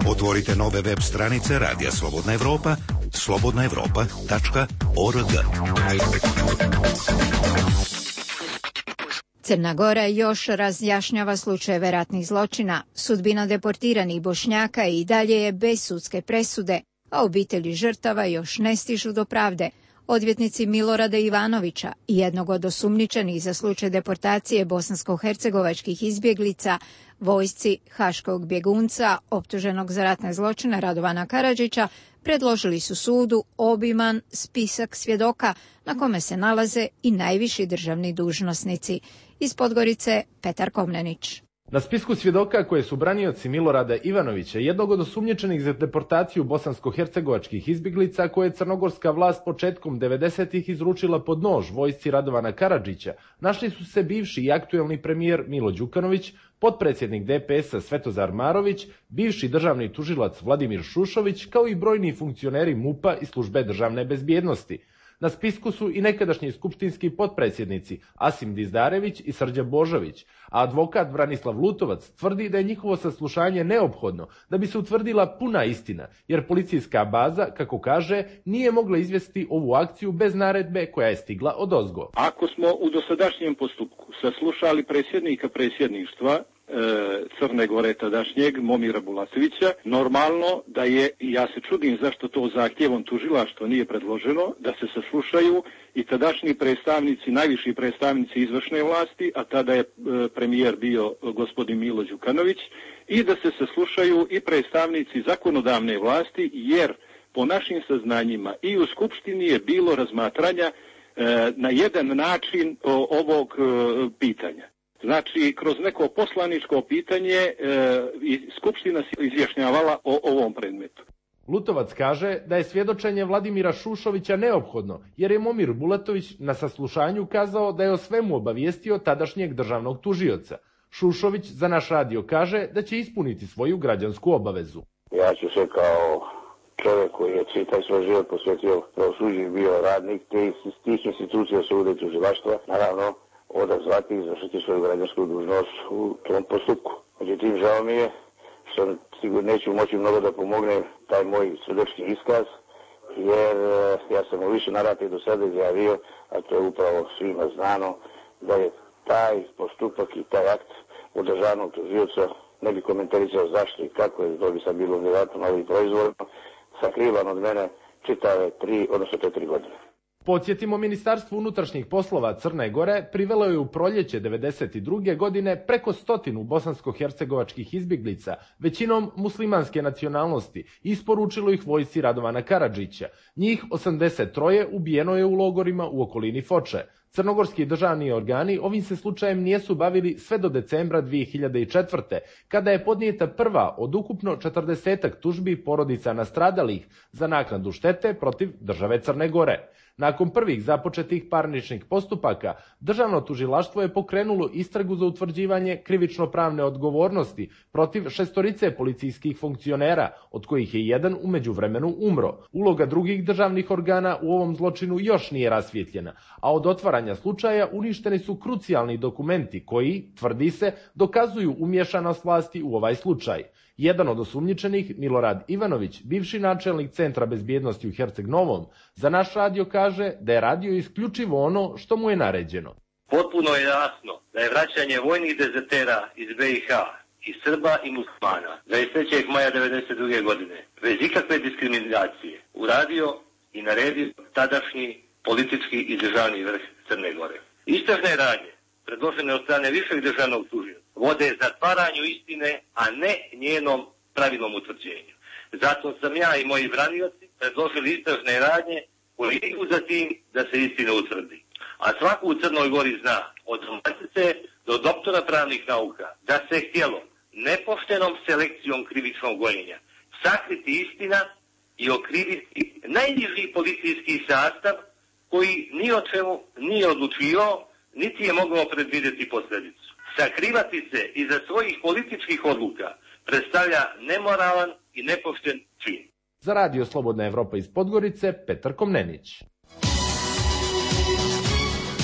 Otvorite nove web stranice Radija Slobodna Evropa, slobodnaevropa.org. Crna Gora još razjašnjava slučajeve ratnih zločina. Sudbina deportiranih Bošnjaka i dalje je bez sudske presude, a obitelji žrtava još ne stižu do pravde. Odvjetnici Milorada Ivanovića i jednog od osumnjičenih za slučaj deportacije bosansko-hercegovačkih izbjeglica, vojsci haškog bjegunca optuženog za ratne zločine Radovana Karadžića, predložili su sudu obiman spisak svjedoka na kome se nalaze i najviši državni dužnosnici. Iz Podgorice Petar Komnenić. Na spisku svjedoka koje su branioci Milorada Ivanovića, jednog od osumnjičenih za deportaciju bosansko-hercegovačkih izbjeglica koje je crnogorska vlast početkom 90-ih izručila pod nož vojsci Radovana Karadžića, našli su se bivši i aktuelni premijer Milo Đukanović, potpredsjednik DPS-a Svetozar Marović, bivši državni tužilac Vladimir Šušović, kao i brojni funkcioneri MUP-a i službe državne bezbjednosti. Na spisku su i nekadašnji skupštinski potpredsjednici Asim Dizdarević i Srđan Božović, a advokat Branislav Lutovac tvrdi da je njihovo saslušanje neophodno da bi se utvrdila puna istina, jer policijska baza, kako kaže, nije mogla izvesti ovu akciju bez naredbe koja je stigla odozgo. Ako smo u dosadašnjem postupku saslušali predsjednika predsjedništva Crne Gore tadašnjeg Momira Bulatovića, normalno da je, i ja se čudim zašto to zahtjevom tužilaštva nije predloženo, da se saslušaju i tadašnji predstavnici, najviši predstavnici izvršne vlasti, a tada je premijer bio gospodin Milo Đukanović, i da se saslušaju i predstavnici zakonodavne vlasti, jer po našim saznanjima i u Skupštini je bilo razmatranja na jedan način ovog pitanja. Znači, kroz neko poslaničko pitanje Skupština se izjašnjavala o ovom predmetu. Lutovac kaže da je svjedočenje Vladimira Šušovića neophodno, jer je Momir Bulatović na saslušanju kazao da je o svemu obavijestio tadašnjeg državnog tužioca. Šušović za naš radio kaže da će ispuniti svoju građansku obavezu. Ja ću se kao čovjek koji je čitav svoj život posvetio pravosuđu i bio radnik tih institucija suda i tužilaštva, naravno odazvati i izvršiti svoju građansku dužnost u tom postupku. Međutim, žao mi je što sigurno neću moći mnogo da pomognem taj moj svjedočki iskaz, jer ja sam u više navrata do sada izjavio, a to je upravo svima znano, da je taj postupak i taj akt od državnog tužioca, ne bi komentarisao zašto i kako je, to bi sad bilo vjerojatno novih proizvodno, sakrivan od mene čitave 4 godine. Podsjetimo, Ministarstvo unutrašnjih poslova Crne Gore privelo je u proljeće 1992. godine preko 100 bosansko-hercegovačkih izbjeglica, većinom muslimanske nacionalnosti, i isporučilo ih vojsci Radovana Karadžića. Njih 83 ubijeno je u logorima u okolini Foče. Crnogorski državni organi ovim se slučajem nisu bavili sve do decembra 2004. kada je podnijeta prva od ukupno 40 tužbi porodica nastradalih za naknadu štete protiv države Crne Gore. Nakon prvih započetih parničnih postupaka, državno tužilaštvo je pokrenulo istragu za utvrđivanje krivično-pravne odgovornosti protiv 6 policijskih funkcionera, od kojih je jedan u međuvremenu umro. Uloga drugih državnih organa u ovom zločinu još nije rasvjetljena, a od otvaranja slučaja uništeni su krucijalni dokumenti koji, tvrdi se, dokazuju umješanost vlasti u ovaj slučaj. Jedan od osumnjičenih, Milorad Ivanović, bivši načelnik Centra bezbjednosti u Herceg Novom, za naš radio kaže da je radio isključivo ono što mu je naređeno. Potpuno je jasno da je vraćanje vojnih dezertera iz BiH i Srba i muslimana 23. maja 1992. godine bez ikakve diskriminacije uradio i naredio tadašnji politički i državni vrh Crne Gore. Istražne radnje predložene od strane višeg državnog tužioca vode zatvaranju istine, a ne njenom pravilnom utvrđenju. Zato sam ja i moji branioci predložili istražne radnje koje idu za tim da se istina utvrdi. A svako u Crnoj Gori zna, od matice do doktora pravnih nauka, da se htjelo nepoštenom selekcijom krivičnog gonjenja sakriti istina i okriviti najniži policijski sastav koji ni o čemu nije odlučivao, niti je mogao predvidjeti posljedicu. Sakrivati se iza svojih političkih odluka predstavlja nemoralan i nepošten čin. Za radio Slobodna Evropa iz Podgorice, Petar Komnenić.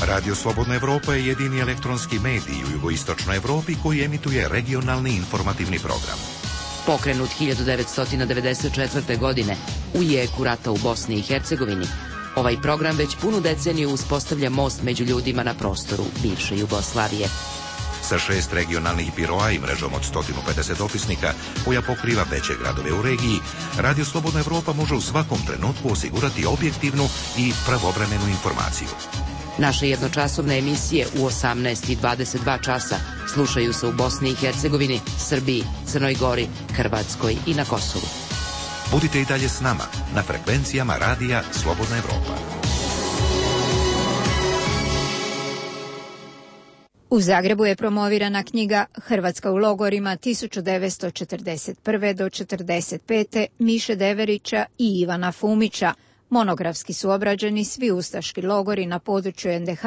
Radio Slobodna Evropa je jedini elektronski medij u jugoistočnoj Evropi koji emituje regionalni informativni program. Pokrenut 1994. godine u jeku rata u Bosni i Hercegovini, ovaj program već punu deceniju uspostavlja most među ljudima na prostoru bivše Jugoslavije. Sa 6 regionalnih biroa i mrežom od 150 dopisnika koja pokriva veće gradove u regiji, Radio Slobodna Evropa može u svakom trenutku osigurati objektivnu i pravovremenu informaciju. Naše jednočasovne emisije u 18 i 22 časa slušaju se u Bosni i Hercegovini, Srbiji, Crnoj Gori, Hrvatskoj i na Kosovu. Budite i dalje s nama na frekvencijama Radija Slobodna Evropa. U Zagrebu je promovirana knjiga Hrvatska u logorima 1941. do 1945. Miše Deverića i Ivana Fumića. Monografski su obrađeni svi ustaški logori na području NDH,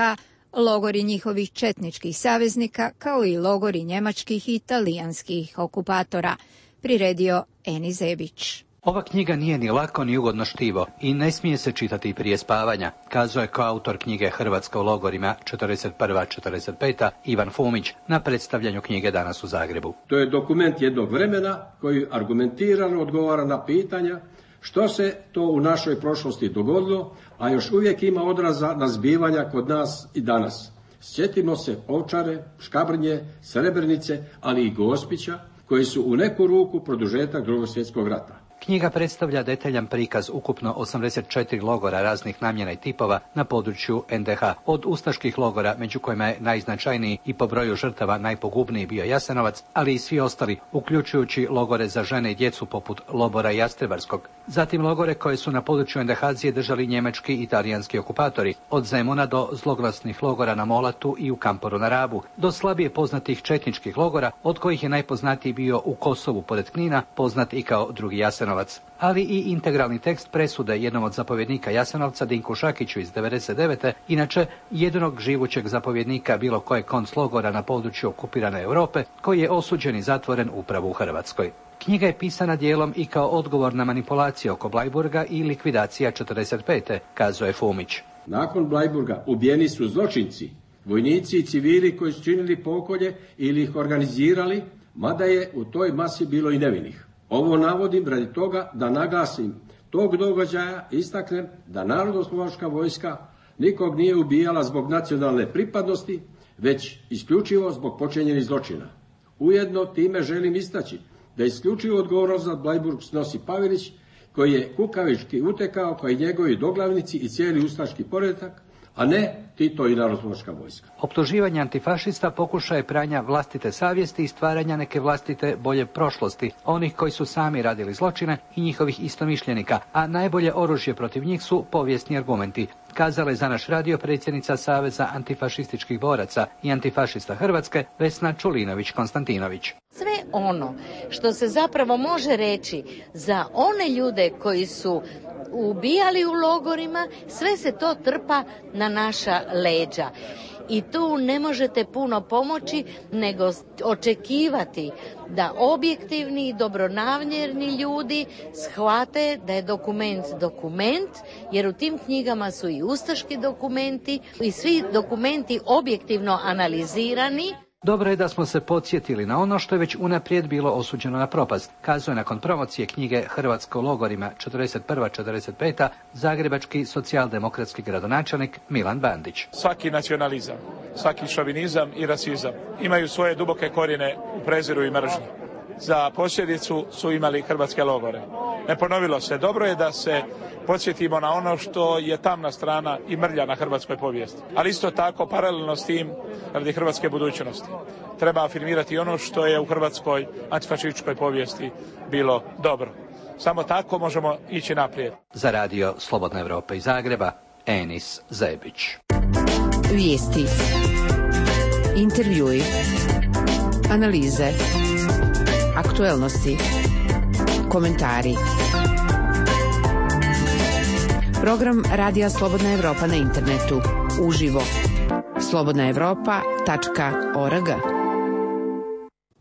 logori njihovih četničkih saveznika, kao i logori njemačkih i italijanskih okupatora. Priredio Eni Zebić. Ova knjiga nije ni lako ni ugodno štivo i ne smije se čitati prije spavanja, kazao je koautor knjige Hrvatska u logorima 41-45. Ivan Fumić na predstavljanju knjige danas u Zagrebu. To je dokument jednog vremena koji argumentirano odgovara na pitanja što se to u našoj prošlosti dogodilo, a još uvijek ima odraza na zbivanja kod nas i danas. Sjetimo se Ovčare, Škabrnje, Srebrenice, ali i Gospića, koji su u neku ruku produžetak Drugog svjetskog rata. Knjiga predstavlja detaljan prikaz ukupno 84 logora raznih namjena i tipova na području NDH. Od ustaških logora, među kojima je najznačajniji i po broju žrtava najpogubniji bio Jasenovac, ali i svi ostali, uključujući logore za žene i djecu poput Lobora i Jastrebarskog. Zatim logore koje su na području NDH-zije držali njemački i italijanski okupatori, od Zemuna do zloglasnih logora na Molatu i u Kamporu na Rabu, do slabije poznatih četničkih logora, od kojih je najpoznatiji bio u Kosovu pored Knina, poznat i kao drugi Jasenovac. Jasenovac, ali i integralni tekst presude jednom od zapovjednika Jasenovca, Dinku Šakiću iz 1999. Inače jedinog živućeg zapovjednika bilo kojeg konclogora na području okupirane Europe, koji je osuđen i zatvoren upravo u Hrvatskoj. Knjiga je pisana dijelom i kao odgovor na manipulacije oko Bleiburga i likvidacija 45. kazuje Fumić. Nakon Bleiburga ubijeni su zločinci, vojnici i civili koji su činili pokolje ili ih organizirali, mada je u toj masi bilo i nevinih. Ovo navodim radi toga da naglasim tog događaja, istaknem da Narodnooslobodilačka vojska nikog nije ubijala zbog nacionalne pripadnosti, već isključivo zbog počinjenih zločina. Ujedno time želim istaći da isključivo odgovornost za Bleiburg snosi Pavelić, koji je kukavički utekao kao i njegovi doglavnici i cijeli ustaški poredak, a ne Tito i Narodnooslobodilačka vojska. Optuživanje antifašista pokušaje pranja vlastite savjesti i stvaranja neke vlastite bolje prošlosti, onih koji su sami radili zločine i njihovih istomišljenika, a najbolje oružje protiv njih su povijesni argumenti, kazala je za naš radio predsjednica Saveza antifašističkih boraca i antifašista Hrvatske Vesna Čulinović-Konstantinović. Sve ono što se zapravo može reći za one ljude koji su ubijali u logorima, sve se to trpa na naša leđa. I tu ne možete puno pomoći nego očekivati da objektivni i dobronamjerni ljudi shvate da je dokument, jer u tim knjigama su i ustaški dokumenti i svi dokumenti objektivno analizirani. Dobro je da smo se podsjetili na ono što je već unaprijed bilo osuđeno na propast, kazuje nakon promocije knjige Hrvatska u logorima 41-45. zagrebački socijaldemokratski gradonačelnik Milan Bandić. Svaki nacionalizam, svaki šovinizam i rasizam imaju svoje duboke korijene u preziru i mržnji. Za posljedicu su imali hrvatske logore. Ne ponovilo se. Dobro je da se podsjetimo na ono što je tamna strana i mrlja na hrvatskoj povijesti. Ali isto tako, paralelno s tim, radi hrvatske budućnosti, treba afirmirati ono što je u hrvatskoj antifašističkoj povijesti bilo dobro. Samo tako možemo ići naprijed. Za radio Slobodna Evropa iz Zagreba, Enis Zebić. Vijesti, intervjui, analize, aktuelnosti, komentari. Program Radija Slobodna Evropa na internetu. Uživo. slobodnaevropa.org.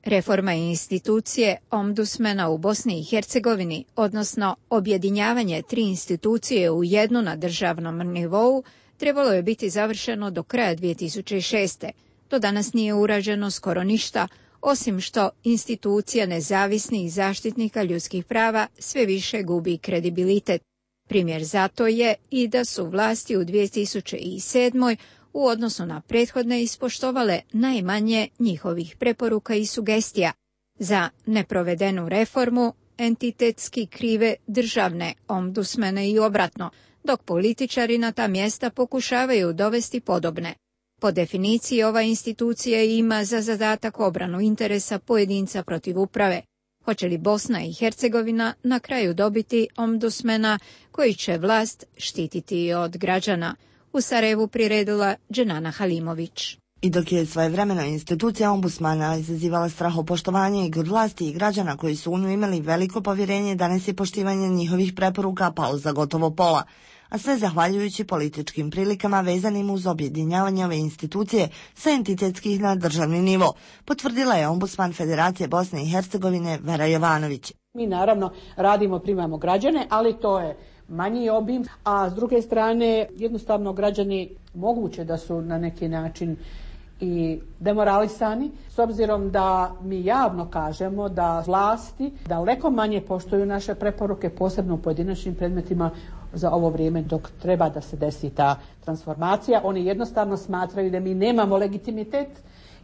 Reforma institucije ombudsmana u Bosni i Hercegovini, odnosno objedinjavanje 3 institucije u jednu na državnom nivou, trebalo je biti završeno do kraja 2006. Do danas nije urađeno skoro ništa, osim što institucija nezavisnih zaštitnika ljudskih prava sve više gubi kredibilitet. Primjer za to je i da su vlasti u 2007. u odnosu na prethodne ispoštovale najmanje njihovih preporuka i sugestija. Za neprovedenu reformu entitetski krive državne ombudsmene i obratno, dok političari na ta mjesta pokušavaju dovesti podobne. Po definiciji ova institucija ima za zadatak obranu interesa pojedinca protiv uprave. Hoće li Bosna i Hercegovina na kraju dobiti ombudsmena koji će vlast štititi od građana? U Sarajevu priredila Dženana Halimović. I dok je svojevremeno institucija ombudsmana izazivala strahopoštovanje i kod vlasti i građana koji su u nju imali veliko povjerenje, danas je poštivanje njihovih preporuka palo za gotovo pola. A sve zahvaljujući političkim prilikama vezanim uz objedinjavanje ove institucije sa entitetskih na državni nivo, potvrdila je ombudsman Federacije Bosne i Hercegovine Vera Jovanović. Mi naravno radimo, primamo građane, ali to je manji obim, a s druge strane jednostavno građani moguće da su na neki način i demoralisani, s obzirom da mi javno kažemo da vlasti daleko manje poštuju naše preporuke, posebno u pojedinačnim predmetima za ovo vrijeme dok treba da se desi ta transformacija. Oni jednostavno smatraju da mi nemamo legitimitet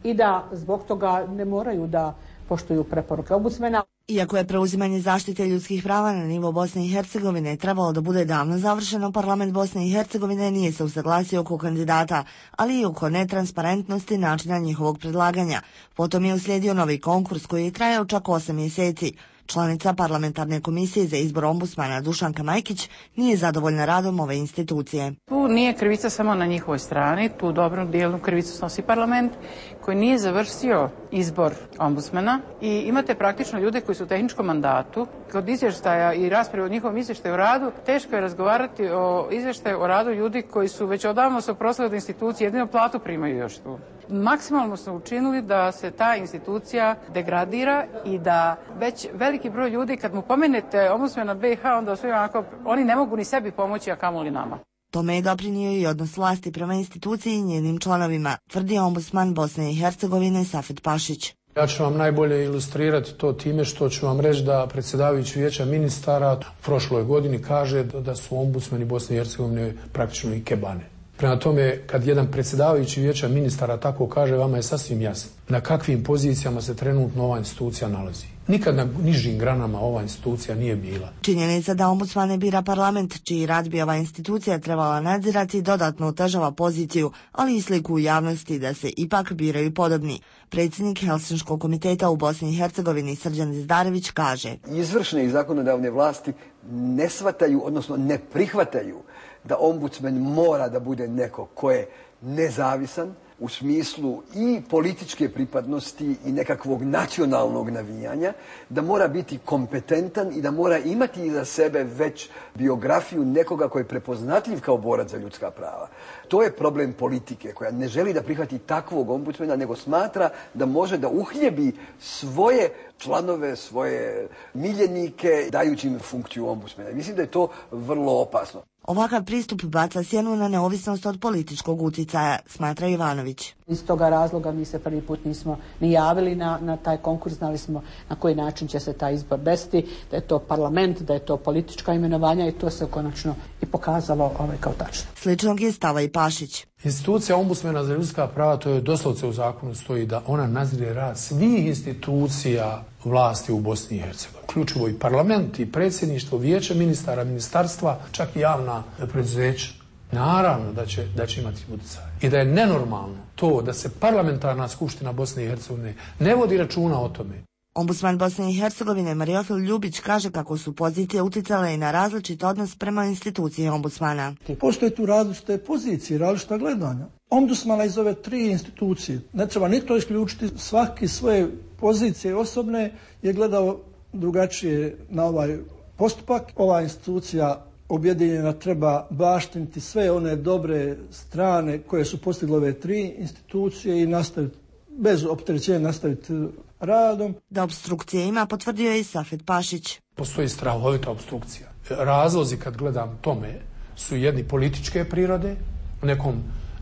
i da zbog toga ne moraju da poštuju preporuke ombudsmena. Iako je preuzimanje zaštite ljudskih prava na nivo Bosne i Hercegovine trebalo da bude davno završeno, parlament Bosne i Hercegovine nije se usaglasio oko kandidata, ali i oko netransparentnosti načina njihovog predlaganja. Potom je uslijedio novi konkurs koji je trajao čak 8 mjeseci. Članica parlamentarne komisije za izbor ombudsmana Dušanka Majkić nije zadovoljna radom ove institucije. Tu nije krivica samo na njihovoj strani, tu dobru dijelu krivicu snosi parlament koji nije završio izbor ombudsmana i imate praktično ljude koji su u tehničkom mandatu. Kod izvještaja i rasprave o njihovom izvještaju o radu teško je razgovarati o izvještaju o radu ljudi koji su već odavno se oprostili od institucije, jedino platu primaju još tu. Maksimalno su učinili da se ta institucija degradira i da već veliki broj ljudi kad mu pomenete ombudsmana BiH onda su onako, oni ne mogu ni sebi pomoći, a kamoli nama. Tome je doprinio i odnos vlasti prema instituciji i njenim članovima, tvrdi ombudsman Bosne i Hercegovine Safet Pašić. Ja ću vam najbolje ilustrirati to time što ću vam reći da predsjedavajući vijeća ministara u prošloj godini kaže da su ombudsmani Bosne i Hercegovine praktično i kebane. Prema tome, kad jedan predsjedavajući vijeća ministara tako kaže, vama je sasvim jasno na kakvim pozicijama se trenutno ova institucija nalazi. Nikad na nižim granama ova institucija nije bila. Činjenica da ombudsmane bira parlament, čiji rad bi ova institucija trebala nadzirati, dodatno otežava poziciju, ali i sliku u javnosti da se ipak biraju podobni. Predsjednik Helsinškog komiteta u Bosni i Hercegovini Srđan Zdarević kaže: Izvršne i zakonodavne vlasti ne shvataju, odnosno ne prihvataju da ombudsman mora da bude neko ko je nezavisan u smislu i političke pripadnosti i nekakvog nacionalnog navijanja, da mora biti kompetentan i da mora imati iza sebe već biografiju nekoga koji je prepoznatljiv kao borac za ljudska prava. To je problem politike koja ne želi da prihvati takvog ombudsmana, nego smatra da može da uhljebi svoje članove, svoje miljenike dajući im funkciju ombudsmana. Mislim da je to vrlo opasno. Ovakav pristup baca sjenu na neovisnost od političkog uticaja, smatra Ivanović. Iz toga razloga mi se prvi put nismo ni javili na taj konkurs, znali smo na koji način će se taj izbor desiti, da je to parlament, da je to politička imenovanja i to se konačno i pokazalo kao tačno. Sličnog je stava i Pašić. Institucija ombudsmana za ljudska prava, to je doslovce u zakonu stoji da ona nadzire rad svih institucija vlasti u Bosni i Hercegovini. Uključivo i parlament, i predsjedništvo, vijeće ministara, ministarstva, čak i javna preduzeća. Naravno da će imati utjecaj. I da je nenormalno to da se parlamentarna skupština Bosne i Hercegovine ne vodi računa o tome. Ombudsman Bosne i Hercegovine Mariofil Ljubić kaže kako su pozicije uticale i na različit odnos prema instituciji ombudsmana. Postoje tu različite pozicije, različita gledanja. Ombudsmana iz ove tri institucije, ne treba ni to isključiti, svaki svoje pozicije osobne je gledao drugačije na ovaj postupak. Ova institucija objedinjena treba baštiniti sve one dobre strane koje su postigle ove tri institucije i nastaviti, bez opterećenja nastaviti radom. Da opstrukcije ima, potvrdio je i Safet Pašić. Postoji strahovita opstrukcija. Razlozi kad gledam tome su jedni političke prirode, nekom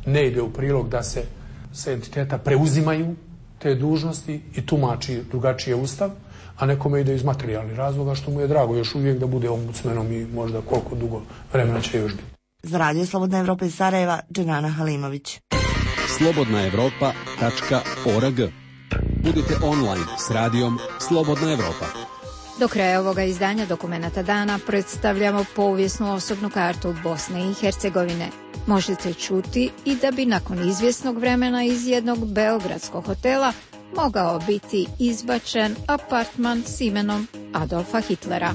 ne ide u prilog da se sa entiteta preuzimaju te dužnosti i tumači drugačije ustav, a nekome ide iz materijalnih razloga što mu je drago još uvijek da bude ombudsmenom i možda koliko dugo vremena će još biti. Za Radio Slobodna Evropa iz Sarajeva, Dženana Halimović. slobodnaevropa.org. Budite online s radijom Slobodna Evropa. Do kraja ovoga izdanja Dokumenata dana predstavljamo povijesnu osobnu kartu Bosne i Hercegovine. Možete čuti i da bi nakon izvjesnog vremena iz jednog beogradskog hotela mogao biti izbačen apartman s imenom Adolfa Hitlera.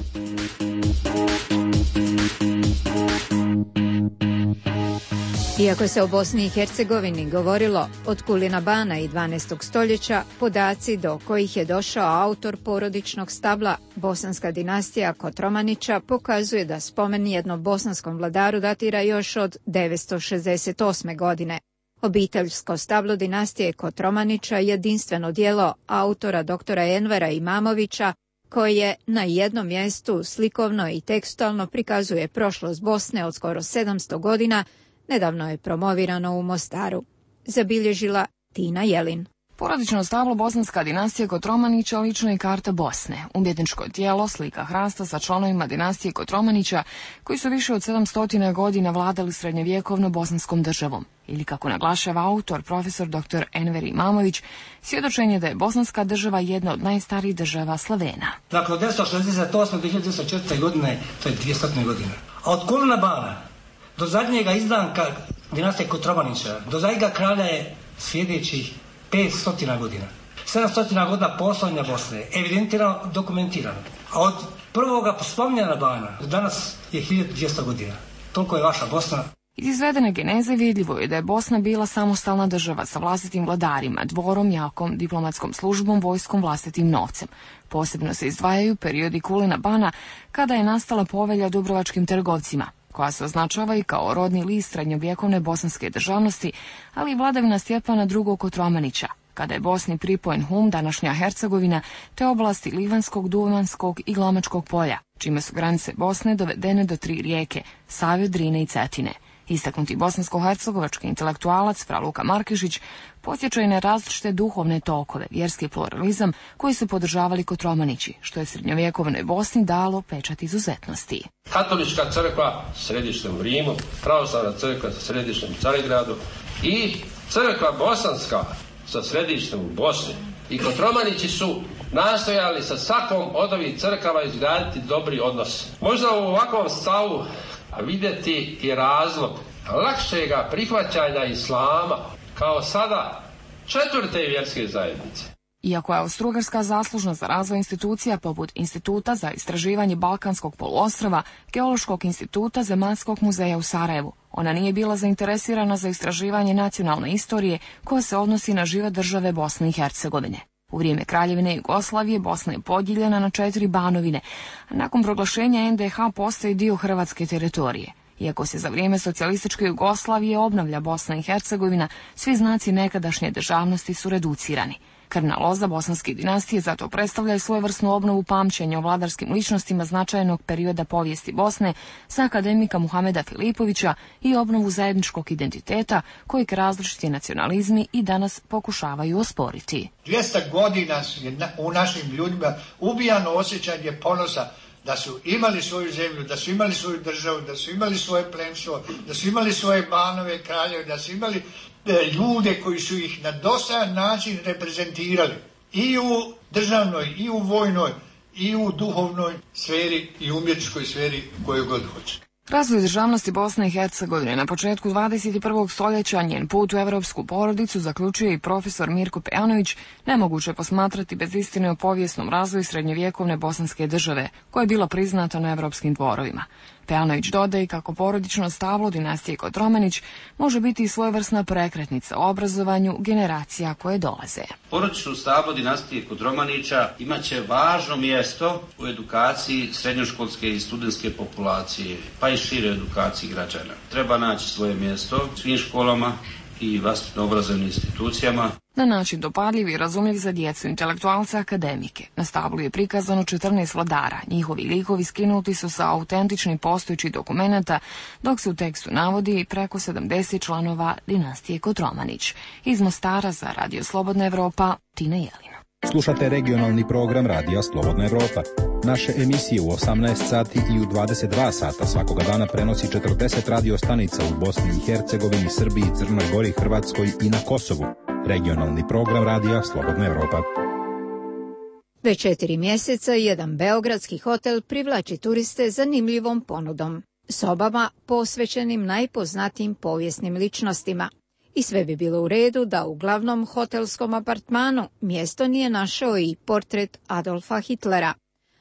Iako se o Bosni i Hercegovini govorilo od Kulina Bana i 12. stoljeća, podaci do kojih je došao autor porodičnog stabla, bosanska dinastija Kotromanića, pokazuje da spomen jednom bosanskom vladaru datira još od 968. godine. Obiteljsko stablo dinastije Kotromanića je jedinstveno djelo autora doktora Envera Imamovića, koje na jednom mjestu slikovno i tekstualno prikazuje prošlost Bosne od skoro 700 godina, nedavno je promovirano u Mostaru. Zabilježila Tina Jelin. Porodično stablo bosanska dinastija Kotromanića lično je karta Bosne, umjetničko tijelo, slika hrasta sa članovima dinastije Kotromanića koji su više od 700 godina vladali srednjovjekovno bosanskom državom. Ili kako naglašava autor, profesor dr. Enver Imamović, svjedočenje da je bosanska država jedna od najstarijih država Slavena. Dakle, od 1968. do 1904. godine, to je 200 godina. A od Kulina Bana do zadnjega izdanka dinastije Kotromanića, do zadnjega kralja je sljedećih 500 godina. 700 godina postojanja Bosne, evidentirano, dokumentirano. A od prvoga spominjanja Bana do danas je 1200 godina. Toliko je vaša Bosna. Iz izvedene geneze vidljivo je da je Bosna bila samostalna država sa vlastitim vladarima, dvorom, jakom, diplomatskom službom, vojskom, vlastitim novcem. Posebno se izdvajaju periodi Kulina Bana, kada je nastala povelja dubrovačkim trgovcima, koja se označava i kao rodni list srednjovjekovne bosanske državnosti, ali i vladavina Stjepana II. Kotromanića, kada je Bosni pripojen Hum, današnja Hercegovina, te oblasti Livanskog, Duvanskog i Glamačkog polja, čime su granice Bosne dovedene do 3 rijeke, Save, Drine i Cetine. Istaknuti bosansko-hercegovački intelektualac Fra Luka Markešić podsjeća i na različite duhovne tokove, vjerski pluralizam koji su podržavali Kotromanići, što je srednjovjekovnoj Bosni dalo pečat izuzetnosti. Katolička crkva središte u Rimu, pravoslavna crkva sa središtem u Carigradu i crkva bosanska sa središtem u Bosni. I Kotromanići su nastojali sa svakom od ovih crkava izgraditi dobri odnos. Možda u ovakvom stavu vidjeti i razlog lakšega prihvaćanja islama kao sada 4. vjerske zajednice. Iako je Austro-Ugarska zaslužna za razvoj institucija poput Instituta za istraživanje Balkanskog poluostrva, Geološkog instituta, Zemaljskog muzeja u Sarajevu, ona nije bila zainteresirana za istraživanje nacionalne istorije koja se odnosi na život države Bosne i Hercegovine. U vrijeme Kraljevine Jugoslavije Bosna je podijeljena na 4 banovine, a nakon proglašenja NDH postaje dio hrvatske teritorije. Iako se za vrijeme socijalističke Jugoslavije obnavlja Bosna i Hercegovina, svi znaci nekadašnje državnosti su reducirani. Krvna loza bosanske dinastije zato predstavlja i svojevrsnu obnovu pamćenja o vladarskim ličnostima značajnog perioda povijesti Bosne sa akademika Muhameda Filipovića i obnovu zajedničkog identiteta kojeg različiti nacionalizmi i danas pokušavaju osporiti. 200 godina je u našim ljudima ubijano osjećanje ponosa da su imali svoju zemlju, da su imali svoju državu, da su imali svoje plemstvo, da su imali svoje banove, kraljeve, da su imali ljude koji su ih na dosadan način reprezentirali i u državnoj, i u vojnoj, i u duhovnoj sferi i umjetničkoj sferi koju god hoće. Razvoj državnosti Bosne i Hercegovine na početku 21. stoljeća, njen put u evropsku porodicu, zaključuje i profesor Mirko Pejanović, nemoguće posmatrati bez istine o povijesnom razvoju srednjovjekovne bosanske države, koja je bila priznata na evropskim dvorovima. Pejanović dodaje kako porodično stablo dinastije Kotromanić može biti i svojevrsna prekretnica u obrazovanju generacija koje dolaze. Porodično stablo dinastije Kotromanića imaće važno mjesto u edukaciji srednjoškolske i studentske populacije, pa i šire edukaciji građana. Treba naći svoje mjesto u svim školama i vaspitno obrazovnim institucijama. Na način dopadljiv i razumljiv za djecu, intelektualce, akademike. Na stablu je prikazano 14 vladara. Njihovi likovi skinuti su sa autentičnih postojećih dokumenata, dok se u tekstu navodi preko 70 članova dinastije Kotromanić. Iz Mostara za Radio Slobodna Evropa, Tina Jelina. Slušate regionalni program Radija Slobodna Evropa. Naše emisije u 18 sati i u 22 sata svakoga dana prenosi 40 radio stanica u Bosni i Hercegovini, Srbiji, Crnoj Gori, Hrvatskoj i na Kosovu. Regionalni program Radija Slobodna Evropa. Već 4 mjeseca jedan beogradski hotel privlači turiste zanimljivom ponudom. Sobama posvećenim najpoznatijim povijesnim ličnostima. I sve bi bilo u redu da u glavnom hotelskom apartmanu mjesto nije našao i portret Adolfa Hitlera.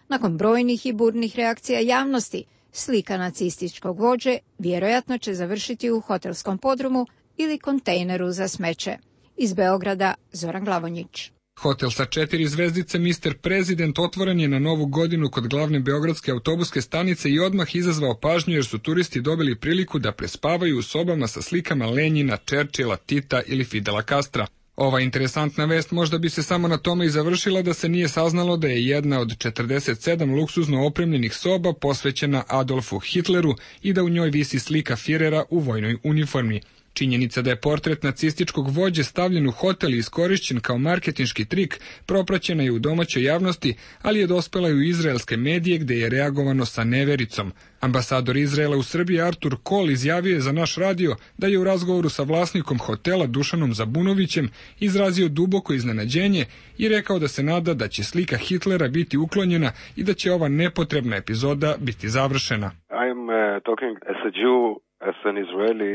Nakon brojnih i burnih reakcija javnosti, slika nacističkog vođe vjerojatno će završiti u hotelskom podrumu ili kontejneru za smeće. Iz Beograda, Zoran Glavonjić. Hotel sa 4 zvezdice Mr. President otvoren je na Novu godinu kod glavne beogradske autobuske stanice i odmah izazvao pažnju jer su turisti dobili priliku da prespavaju u sobama sa slikama Lenjina, Churchilla, Tita ili Fidela Castra. Ova interesantna vest možda bi se samo na tome i završila da se nije saznalo da je jedna od 47 luksuzno opremljenih soba posvećena Adolfu Hitleru i da u njoj visi slika Firera u vojnoj uniformi. Činjenica da je portret nacističkog vođe stavljen u hotel i iskorišćen kao marketinški trik propraćena je u domaćoj javnosti, ali je dospela i u izraelske medije gde je reagovano sa nevericom. Ambasador Izraela u Srbiji Artur Kol izjavio je za naš radio da je u razgovoru sa vlasnikom hotela Dušanom Zabunovićem izrazio duboko iznenađenje i rekao da se nada da će slika Hitlera biti uklonjena i da će ova nepotrebna epizoda biti završena. I'm talking as a Jew, as an Israeli,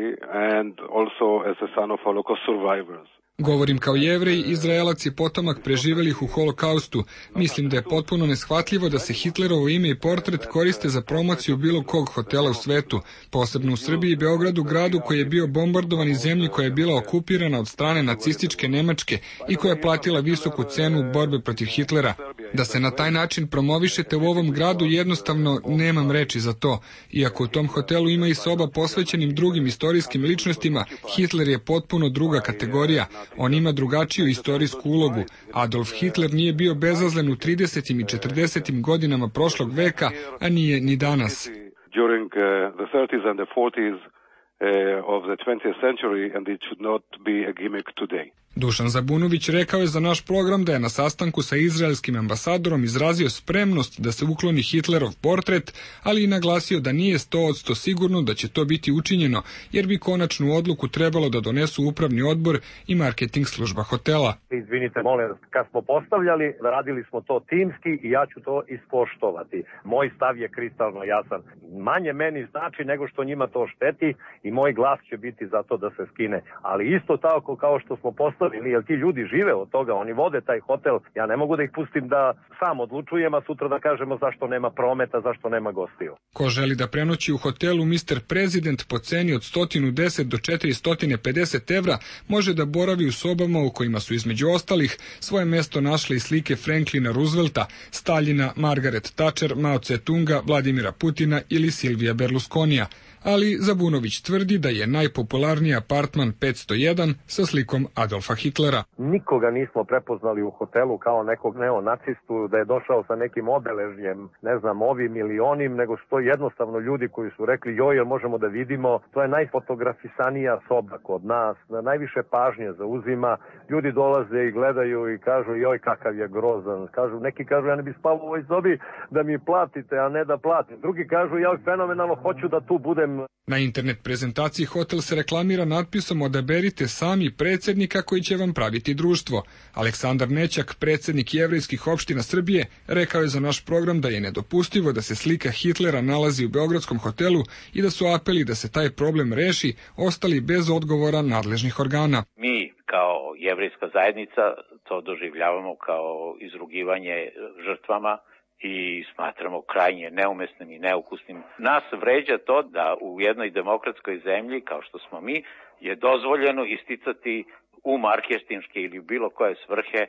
and also as a son of Holocaust survivors. Govorim kao Jevrej, Izraelac je potomak preživelih u holokaustu. Mislim da je potpuno neshvatljivo da se Hitlerovo ime i portret koriste za promociju bilo kog hotela u svetu, posebno u Srbiji i Beogradu, gradu koji je bio bombardovan i zemlji koja je bila okupirana od strane nacističke Nemačke i koja je platila visoku cenu borbe protiv Hitlera. Da se na taj način promovišete u ovom gradu, jednostavno nemam reči za to. Iako u tom hotelu ima i soba posvećenim drugim istorijskim ličnostima, Hitler je potpuno druga kategorija. On ima drugačiju istorijsku ulogu. Adolf Hitler nije bio bezazlen u 30. i 40. godinama prošlog veka, a nije ni danas. During the 30s and the 40s of the 20th century, and it should not be a gimmick today. Dušan Zabunović rekao je za naš program da je na sastanku sa izraelskim ambasadorom izrazio spremnost da se ukloni Hitlerov portret, ali i naglasio da nije 100% sigurno da će to biti učinjeno, jer bi konačnu odluku trebalo da donesu upravni odbor i marketing služba hotela. Izvinite, molim, kad smo postavljali, radili smo to timski i ja ću to ispoštovati. Moj stav je kristalno jasan. Manje meni znači nego što njima to šteti i moj glas će biti za to da se skine. Ali isto tako kao što smo postavili, jer ti ljudi žive od toga, oni vode taj hotel, ja ne mogu da ih pustim da sam odlučujem, a sutra da kažemo zašto nema prometa, zašto nema gostiju. Ko želi da prenoći u hotelu Mr. President po ceni od 110 do 450 evra, može da boravi u sobama u kojima su između ostalih svoje mesto našle i slike Franklina Roosevelta, Staljina, Margaret Thatcher, Mao Tse-tunga, Vladimira Putina ili Silvija Berlusconija. Ali Zabunović tvrdi da je najpopularniji apartman 501 sa slikom Adolfa Hitlera. Nikoga nismo prepoznali u hotelu kao nekog neonacistu, da je došao sa nekim obeležjem, ne znam, ovim ili onim, nego su to jednostavno ljudi koji su rekli, joj, jel možemo da vidimo, to je najfotografisanija soba kod nas, najviše pažnje zauzima, ljudi dolaze i gledaju i kažu, joj, kakav je grozan, neki kažu, ja ne bi spao u ovoj sobi da mi platite, a ne da platim, drugi kažu, ja fenomenalno hoću da tu budem. Na internet prezentaciji hotel se reklamira natpisom odaberite sami predsjednika koji će vam praviti društvo. Aleksandar Nećak, predsjednik jevrejskih opština Srbije, rekao je za naš program da je nedopustivo da se slika Hitlera nalazi u beogradskom hotelu i da su apeli da se taj problem reši ostali bez odgovora nadležnih organa. Mi kao jevrejska zajednica to doživljavamo kao izrugivanje žrtvama i smatramo krajnje neumesnim i neukusnim. Nas vređa to da u jednoj demokratskoj zemlji, kao što smo mi, je dozvoljeno isticati u marketinške ili bilo koje svrhe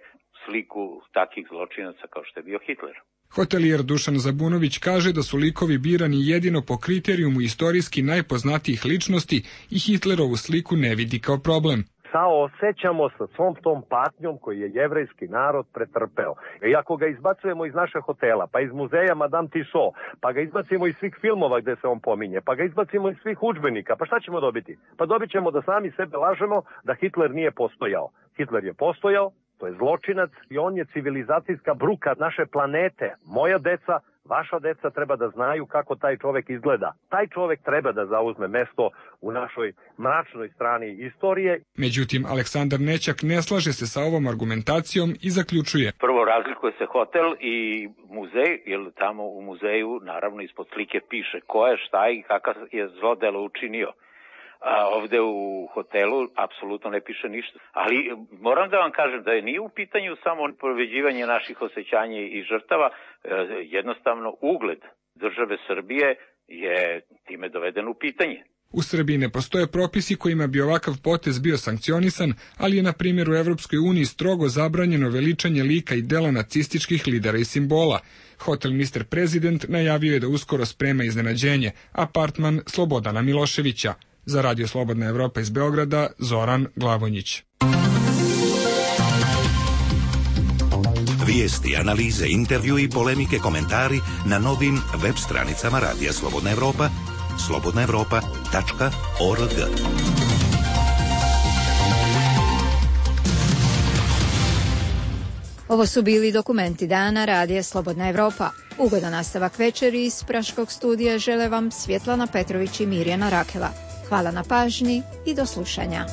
sliku takvih zločinaca kao što je bio Hitler. Hotelijer Dušan Zabunović kaže da su likovi birani jedino po kriterijumu istorijski najpoznatijih ličnosti i Hitlerovu sliku ne vidi kao problem. Saosećamo sa svom tom patnjom koji je jevrejski narod pretrpeo. I ako ga izbacujemo iz našeg hotela, pa iz muzeja Madame Tussauds, pa ga izbacimo iz svih filmova gde se on pominje, pa ga izbacimo iz svih udžbenika, pa šta ćemo dobiti? Pa dobit ćemo da sami sebe lažemo da Hitler nije postojao. Hitler je postojao, to je zločinac i on je civilizacijska bruka naše planete. Moja deca, vaša deca treba da znaju kako taj čovek izgleda. Taj čovek treba da zauzme mesto u našoj mračnoj strani istorije. Međutim, Aleksandar Nećak ne slaže se sa ovom argumentacijom i zaključuje. Prvo, razlikuje se hotel i muzej, jer tamo u muzeju naravno ispod slike piše ko je, šta i kakav je zlodelo učinio. A ovde u hotelu apsolutno ne piše ništa. Ali moram da vam kažem da nije u pitanju samo povređivanje naših osjećanja i žrtava, jednostavno ugled države Srbije je time doveden u pitanje. U Srbiji ne postoje propisi kojima bi ovakav potez bio sankcionisan, ali je na primjer u Evropskoj uniji strogo zabranjeno veličanje lika i dela nacističkih lidera i simbola. Hotel Mr. President najavio je da uskoro sprema iznenađenje, apartman Slobodana Miloševića. Za Radio Slobodna Evropa iz Beograda, Zoran Glavonjić. Vijesti, analize, intervju i polemike, komentari na novim web stranicama Radija Slobodna Evropa, slobodnaevropa.org. Ovo su bili dokumenti dana Radija Slobodna Evropa. Ugodan nastavak večeri iz Praškog studija žele vam Svjetlana Petrović i Mirjana Rakela. Hvala na pažnji i do slušanja.